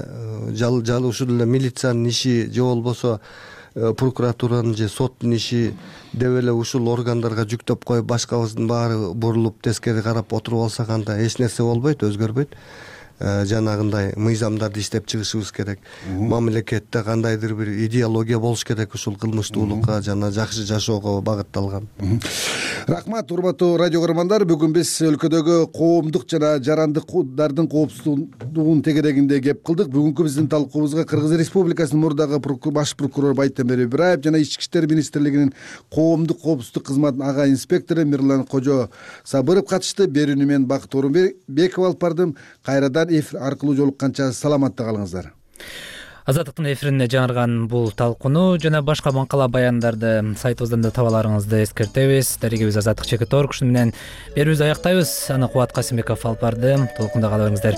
жал жал ушул эле милициянын иши же болбосо прокуратуранын же соттун иши деп эле ушул органдарга жүктөп коюп башкабыздын баары бурулуп тескери карап отуруп алсак анда эч нерсе болбойт, өзгөрбөйт. Жанагындай мыйзамдарды иштеп чыгышыбыз керек. Мамлекетте кандайдыр бир идеология болуш керек ушул кылмыштуулукка жана жакшы жашоого багытталган. Рахмат, урматтуу радио көрөрмандар. Бүгүн биз өлкөдөгү коомдук жана жарандыктардын коопсуздугунун тегерегинде кеп кылдык. Бүгүнкү биздин талкуубузга Кыргыз Республикасынын мурдагы баш прокурору Байтемир Ибраев жана Ички иштер министрлигинин коомдук коопсуздук кызматынын ага инспектору Мирлан Кожо Сабыров катышты. Берүүнү мен Бакыт Орунбеков алып бардым. Кайрадан эфир аркылуу жолукканча саламатта калыңыздар. Азаттыктын эфирине жаңырган бул талкууну жана башка маңкала баяндарды сайтыбыздан да таба аларыңызды эскертебиз. Дарегебиз Азаттык Чекит Орг. Ушуну менен берүүбүздү аяктайбыз. Аны Кубат Касымбеков алып барды. Толкунда кала бериңиздер.